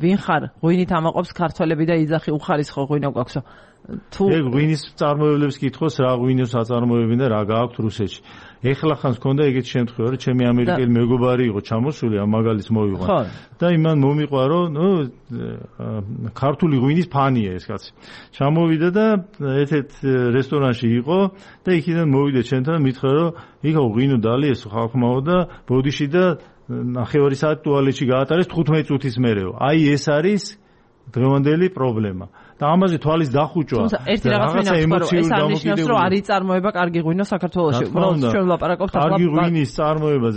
ვინ ხარ, ღვინით ამაყობს ქართველები და იძახი უხარისხო ღვინო გვაქვსო. თუ ეგ ღვინის წარმოებლებს კითხოს რა ღვინოს აწარმოებენ და რა გააქვთ რუსეთში. ეხლა ხანს ქონდა ეგეთი შემთხვევა, რომ ჩემი ამერიკელი მეგობარი იყო ჩამოსული, ამ მაგალითს მოვიყვან. და იმან მომიყვა, რომ ქართული ღვინის ფანია ეს კაცი. ჩამოვიდა და ერთ-ერთ რესტორანში იყო და იქიდან მოვიდა ჩვენთან, მითხრა, რომ იქა ღვინო დალიესო ხალხმაო და ბოდიში და ნახევარი საათი ტუალეტში გაატარეს 15 წუთის მერეო. აი ეს არის დღევანდელი პრობლემა. და ამაზე თვალის დახუჭვა. ერთი რაღაც მინახავს, რომ ეს არნიშნავს, რომ არ იწარმოება კარგი ღვინო საქართველოში. უბრალოდ ჩვენ ვლაპარაკობთ ახლა კარგი ღვინის წარმოება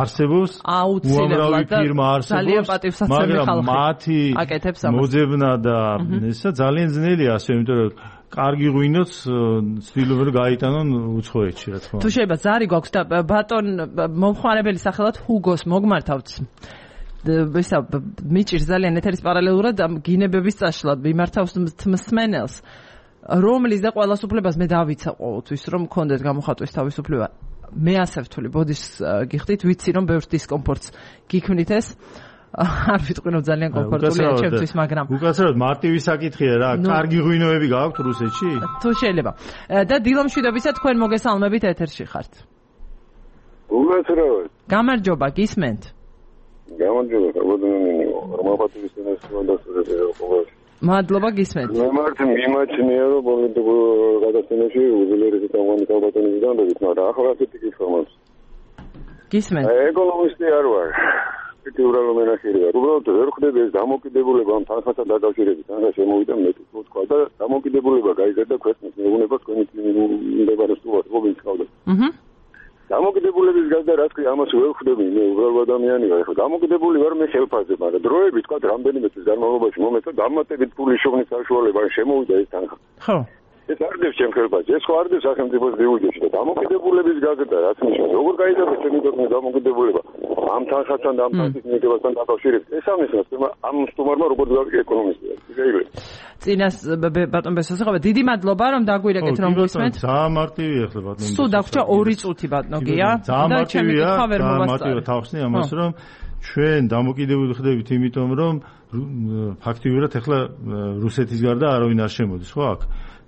არსებობს, უამრავი ფირმა არსებობს, მაგრამ მათი მოძებნა და ესა ძალიან ძნელია, ასე იმიტომ რომ კარგი ღვინოც ცდილობენ რომ გაიტანონ უცხოეთში, რა თქმა უნდა. თუ შეიძლება ზარი გვაქვს და ბატონ მომხმარებელი სახელად ჰუგოს მოგმართავთ. ვისა მიჭირს ძალიან ეთერის პარალელურად გინებების წაშლა მიმართავს მსმენელს, რომლის და ყოველას უფლებას მე დავიცა ყოველთვის რომ მქონდეთ გამოხატვის თავისუფლება. მე ასე ვთვლი, ბოდის გიხდით, ვიცი რომ ბევრ დისკომფორტს გიქმნით ეს. არ ვიტყვი რომ ძალიან კომფორტულია ჩემთვის, მაგრამ უკაცრავად მარტივი საკითხია რა, კარგი ღვინოები გააქვთ რუსეთში? თუ შეიძლება. და დილომშვიდობისა თქვენ მოგესალმებით ეთერში ხართ. უკაცრავად. გამარჯობა, გისმენთ. გამარჯობა, რომაპატივის ინსტიტუტში. მადლობა, გისმენთ. მე მარტო მიმაჩნია რომ პოლიტიკურ გადაცემაში უძლიერესი თამამი კალბატონის განდებით, მაგრამ ახლა ასეთი კითხვა. გისმენთ. ეკონომისტი არ ვარ. ეთიურალო მენახილი ვარ. უბრალოდ ვერ ხვდები ეს დამოკიდებულება ამ თანხასთან დაკავშირებით, თანხა შემოვიდა მე თქვა და დამოკიდებულება გაიზარდა ქვეყნის მეურნეობას თქვენი მიმდებარე სულაც რობინს ყავდა. დამოკიდებულების გარდა რაც კი ამას ვერ ხვდები, მე უბრალოდ ადამიანი ვარ. ხო, დამოკიდებული ვარ მე ხელფასზე, მაგრამ დროებით თქვა რამდენიმე წლის განმავლობაში მომეცა დამატებით ფულის შოვნის საშუალება შემოვიდა ეს თანხა. ხო. ეს არ დევს ჩემ ხელფასზე, ეს ხო არ დევს სახელმწიფოს ბიუჯეტში და დამოკიდებულების გარდა რაც ნიშნავს, როგორ გაიზარდა ჩემი ქვეყნის დამოკიდებულება ამ თანხასთან და ამ თანხის მიღებასთან დაკავშირებით. ეს ამისას ამ სტუმარმა როგორც გავიგე ეკონომისტია. შეიძლება. წინას ბატონ ბესოსაღება, დიდი მადლობა რომ დაგვირეკეთ რომ გვისმენთ. ძალიან მარტივია ახლა ბატონ. სულ დაგვრჩა 2 წუთი ბატონო გია და ჩემი კითხვა ვერ მოვასწრე. თავხსნი ამას რომ ჩვენ დამოკიდებული ხდებით იმიტომ რომ ფაქტიურად ახლა რუსეთის გარდა არავინ არ შემოდის, ხო აქ?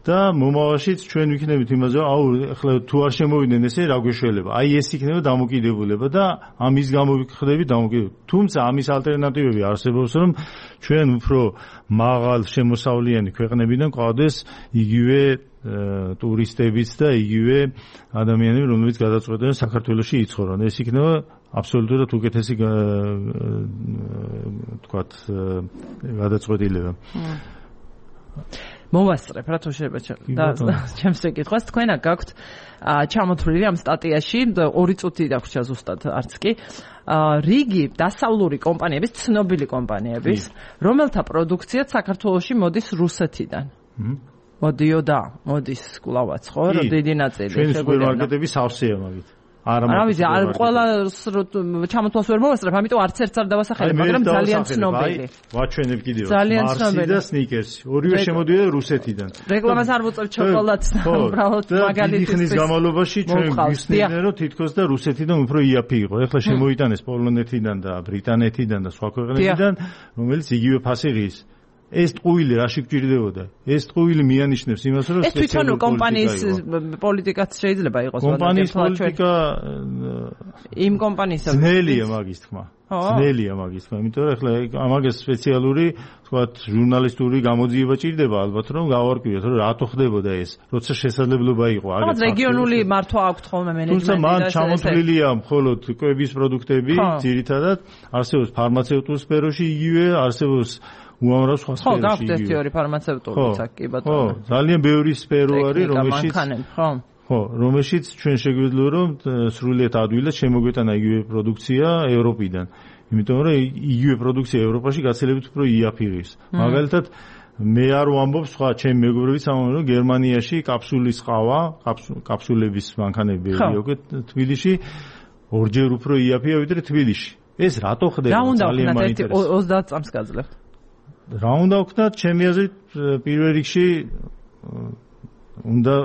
და მომავალშიც ჩვენ ვიქნებით იმაზე, აუ ახლა თუ არ შემოვიდნენ ესე რა გვეშველება. აი ეს იქნება დამოკიდებულება და ამის გამო ვიხდებით დამოკიდებულება. თუმცა ამის ალტერნატივები არსებობს, რომ ჩვენ უფრო მაღალ შემოსავლიანი ქვეყნებიდან ყავდეს იგივე ტურისტებიც და იგივე ადამიანები, რომლებიც გადაწყვეტენ საქართველოში იცხოვრონ. ეს იქნება აბსოლუტურად უკეთესი თქვათ გადაწყვეტილება. მოვასწრებ რა თუ შეიძლება ჩემს ეკითხვას თქვენ აქ გაქვთ ჩამოთვლილი ამ სტატიაში 2 წუთი დაგვრჩა ზუსტად არც კი რიგი დასავლური კომპანიების ცნობილი კომპანიების რომელთა პროდუქციაც საქართველოში მოდის რუსეთიდან მოდიოდა მოდის კვლავაც ხო რა დიდი ნაწილი ჩვენი სუპერმარკეტები სავსეა მაგით არა ვიცი არ ყველას ჩამოთვალს ვერ მოვასწრებ ამიტომ არც ერთს არ დავასახელებ მაგრამ ძალიან ცნობილი ვაჩვენებ კიდევ მარსი და სნიკერსი ორივე შემოდიოდა რუსეთიდან რეკლამას არ ვუწევ შოკოლადს უბრალოდ მაგალითის ხნის განმავლობაში ჩვენ გვისმენდნენ რომ თითქოს და რუსეთიდან უფრო იაფი იყო ეხლა შემოიტანეს პოლონეთიდან და ბრიტანეთიდან და სხვა ქვეყნებიდან რომელიც იგივე ფასი ღირს ეს ტყუილი რაში გჭირდებოდა? ეს ტყუილი მიანიშნებს იმას, რომ ეს თვითონ კომპანიის პოლიტიკაც შეიძლება იყოს. კომპანიის პოლიტიკა იმ კომპანიისა ძნელია მაგის თქმა. ძნელია მაგის თქმა, იმიტომ რომ ახლა ამაგეს სპეციალური, თქვათ, ჟურნალისტური გამოძიება ჭირდება ალბათ, რომ გავარკვიოთ, რომ რატო ხდებოდა ეს, როცა შესაძლებლობა იყო აგეთ. მაგრამ რეგიონული მართვა აქვს ხოლმე მენეჯმენტი და თუმცა მან ჩამოთვლილია მხოლოდ კვების პროდუქტები, ძირითადად არსებობს ფარმაცევტულ სფეროში იგივე, არსებობს უამრავ სხვა სფეროში. ხო, გაქვთ ერთი ორი ფარმაცევტულიც აქ კი ბატონო. ხო, ძალიან ბევრი სფერო არის, რომელშიც ხო, რომელშიც ჩვენ შეგვიძლია რომ სრულიად ადვილად შემოგვეტანა იგივე პროდუქცია ევროპიდან. იმიტომ რომ იგივე პროდუქცია ევროპაში გაცილებით უფრო იაფირის. მაგალითად მე არ ვამბობ სხვა ჩემი მეგობრებიც ამბობენ რომ გერმანიაში კაფსულის ყავა, კაფსულების მანქანები იყო თბილისში ორჯერ უფრო იაფია ვიდრე თბილისში. ეს რატო ხდება? ძალიან მაინტერესებს. 30 წამს გაძლევთ. რა უნდა ვქნათ, ჩემი აზრით პირველ რიგში უნდა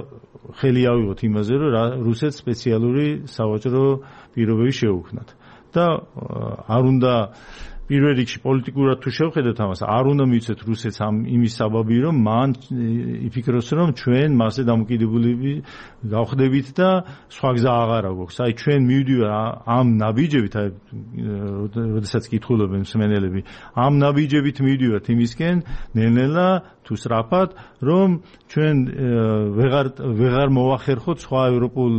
ხელი ავიღოთ იმაზე, რომ რუსეთს სპეციალური სავაჭრო პირობები შეუქმნათ. და არ უნდა პირველ რიგში პოლიტიკურად თუ შევხედოთ ამას, არ უნდა მივცეთ რუსეთს იმის საბაბი, რომ მან იფიქროს, რომ ჩვენ მასზე დამოკიდებულები გავხდებით და სხვა გზა აღარა გვაქვს. აი ჩვენ მივდივარ ამ ნაბიჯებით, აი როდესაც კითხულობენ მსმენელები, ამ ნაბიჯებით მივდივართ იმისკენ, ნელ-ნელა თუ სწრაფად, რომ ჩვენ ვეღარ მოვახერხოთ სხვა ევროპულ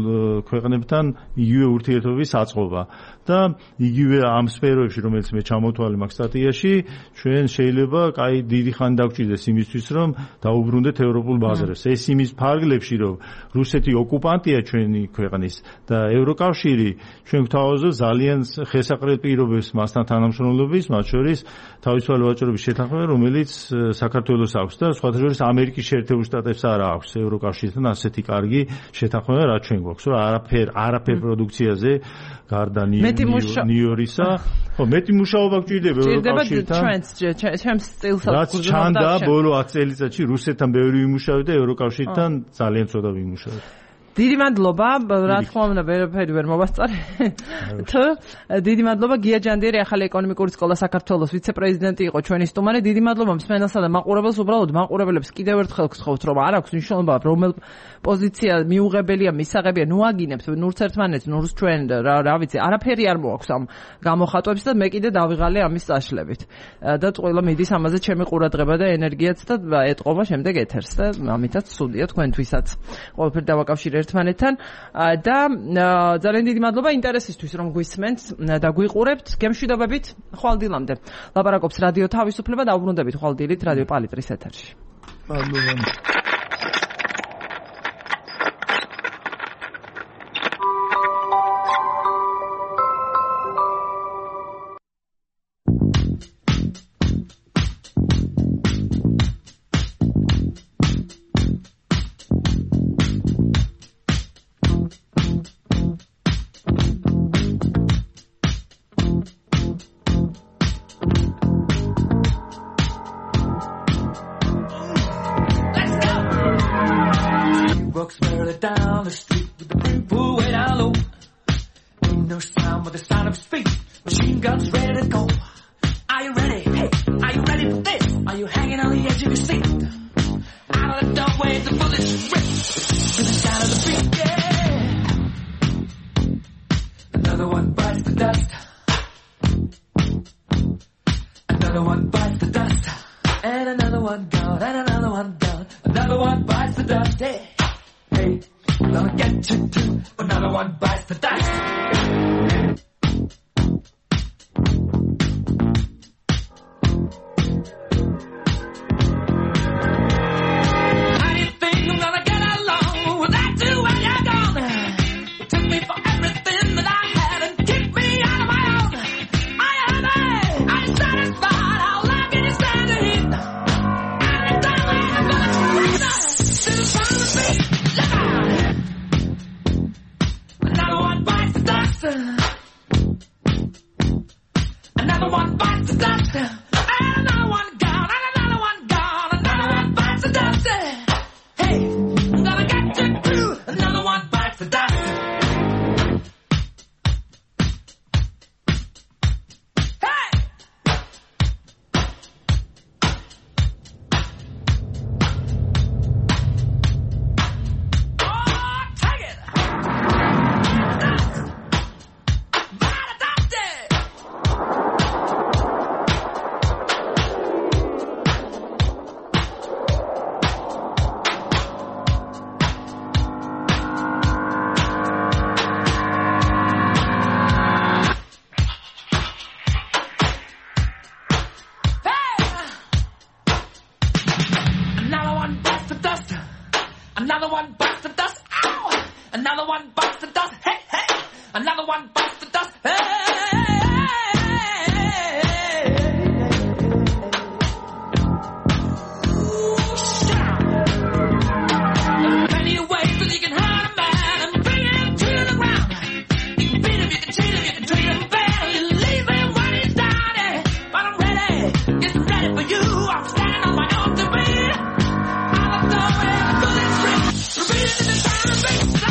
ქვეყნებთან იგივე ურთიერთობის აწყობა. და იგივე ამ სფეროებში, რომელიც მე ჩამოთვალე მაგ სტატიაში, ჩვენ შეიძლება კაი დიდი ხანი დაგვჭირდეს იმისთვის, რომ დაუბრუნდეთ ევროპულ ბაზრებს. ეს იმის ფარგლებში, რომ რუსეთი ოკუპანტია ჩვენი ქვეყნის და ევროკავშირი ჩვენ გვთავაზობ ძალიან ხესაყრელ პირობებს მასთან თანამშრომლობის, მათ შორის თავისუფალი ვაჭრობის შეთანხმება, რომელიც საქართველოს აქვს და სხვათა შორის ამერიკის შეერთებულ შტატებს არ აქვს ევროკავშირთან ასეთი კარგი შეთანხმება, რაც ჩვენ გვაქვს, რომ არაფერ პროდუქციაზე გარდა ნიორისა, ხო, მეტი მუშაობა გვჭირდება ევროკავშირთან. ჩვენს სტილსაც რაც ჩანდა ბოლო 10 წელიწადში რუსეთთან ბევრი ვიმუშავე და ევროკავშირთან ძალიან ცოტა ვიმუშავე. დიდი მადლობა, რა თქმა უნდა, ვერაფერი ვერ მოვასწარე. დიდი მადლობა გია ჯანდიერი, ახალი ეკონომიკური სკოლა საქართველოს ვიცე-პრეზიდენტი იყო ჩვენი სტუმარი. დიდი მადლობა მსმენელსა და მაყურებელს, უბრალოდ მაყურებელებს კიდევ ერთხელ გსხოვთ, რომ არ აქვს მნიშვნელობა, რომელ პოზიცია მიუღებელია, მისაღებია, ნუ აგინებთ, ნურც ერთმანეთს, ნურც ჩვენ, რა ვიცი, არაფერი არ მოაქვს ამ გამოხატვებს და მე კიდე დავიღალე ამის წაშლებით. და ყველა მიდის ამაზე ჩემი ყურადღება და ენერგიაც და ეტყობა შემდეგ ეთერს და ამითაც სულია თქვენთვისაც. ყველაფერი დავაკავშირე ერთმანეთთან და ძალიან დიდი მადლობა ინტერესისთვის, რომ გვისმენთ და გვიყურებთ. გემშვიდობებით ხვალ დილამდე. ლაპარაკობს რადიო თავისუფლება, დაუბრუნდებით ხვალ დილით რადიო პალიტრის ეთერში. მადლობა. Another one bites the dust. Another one bites the dust. Hey, hey. Another one bites the dust. Hey. Repeat it in the time,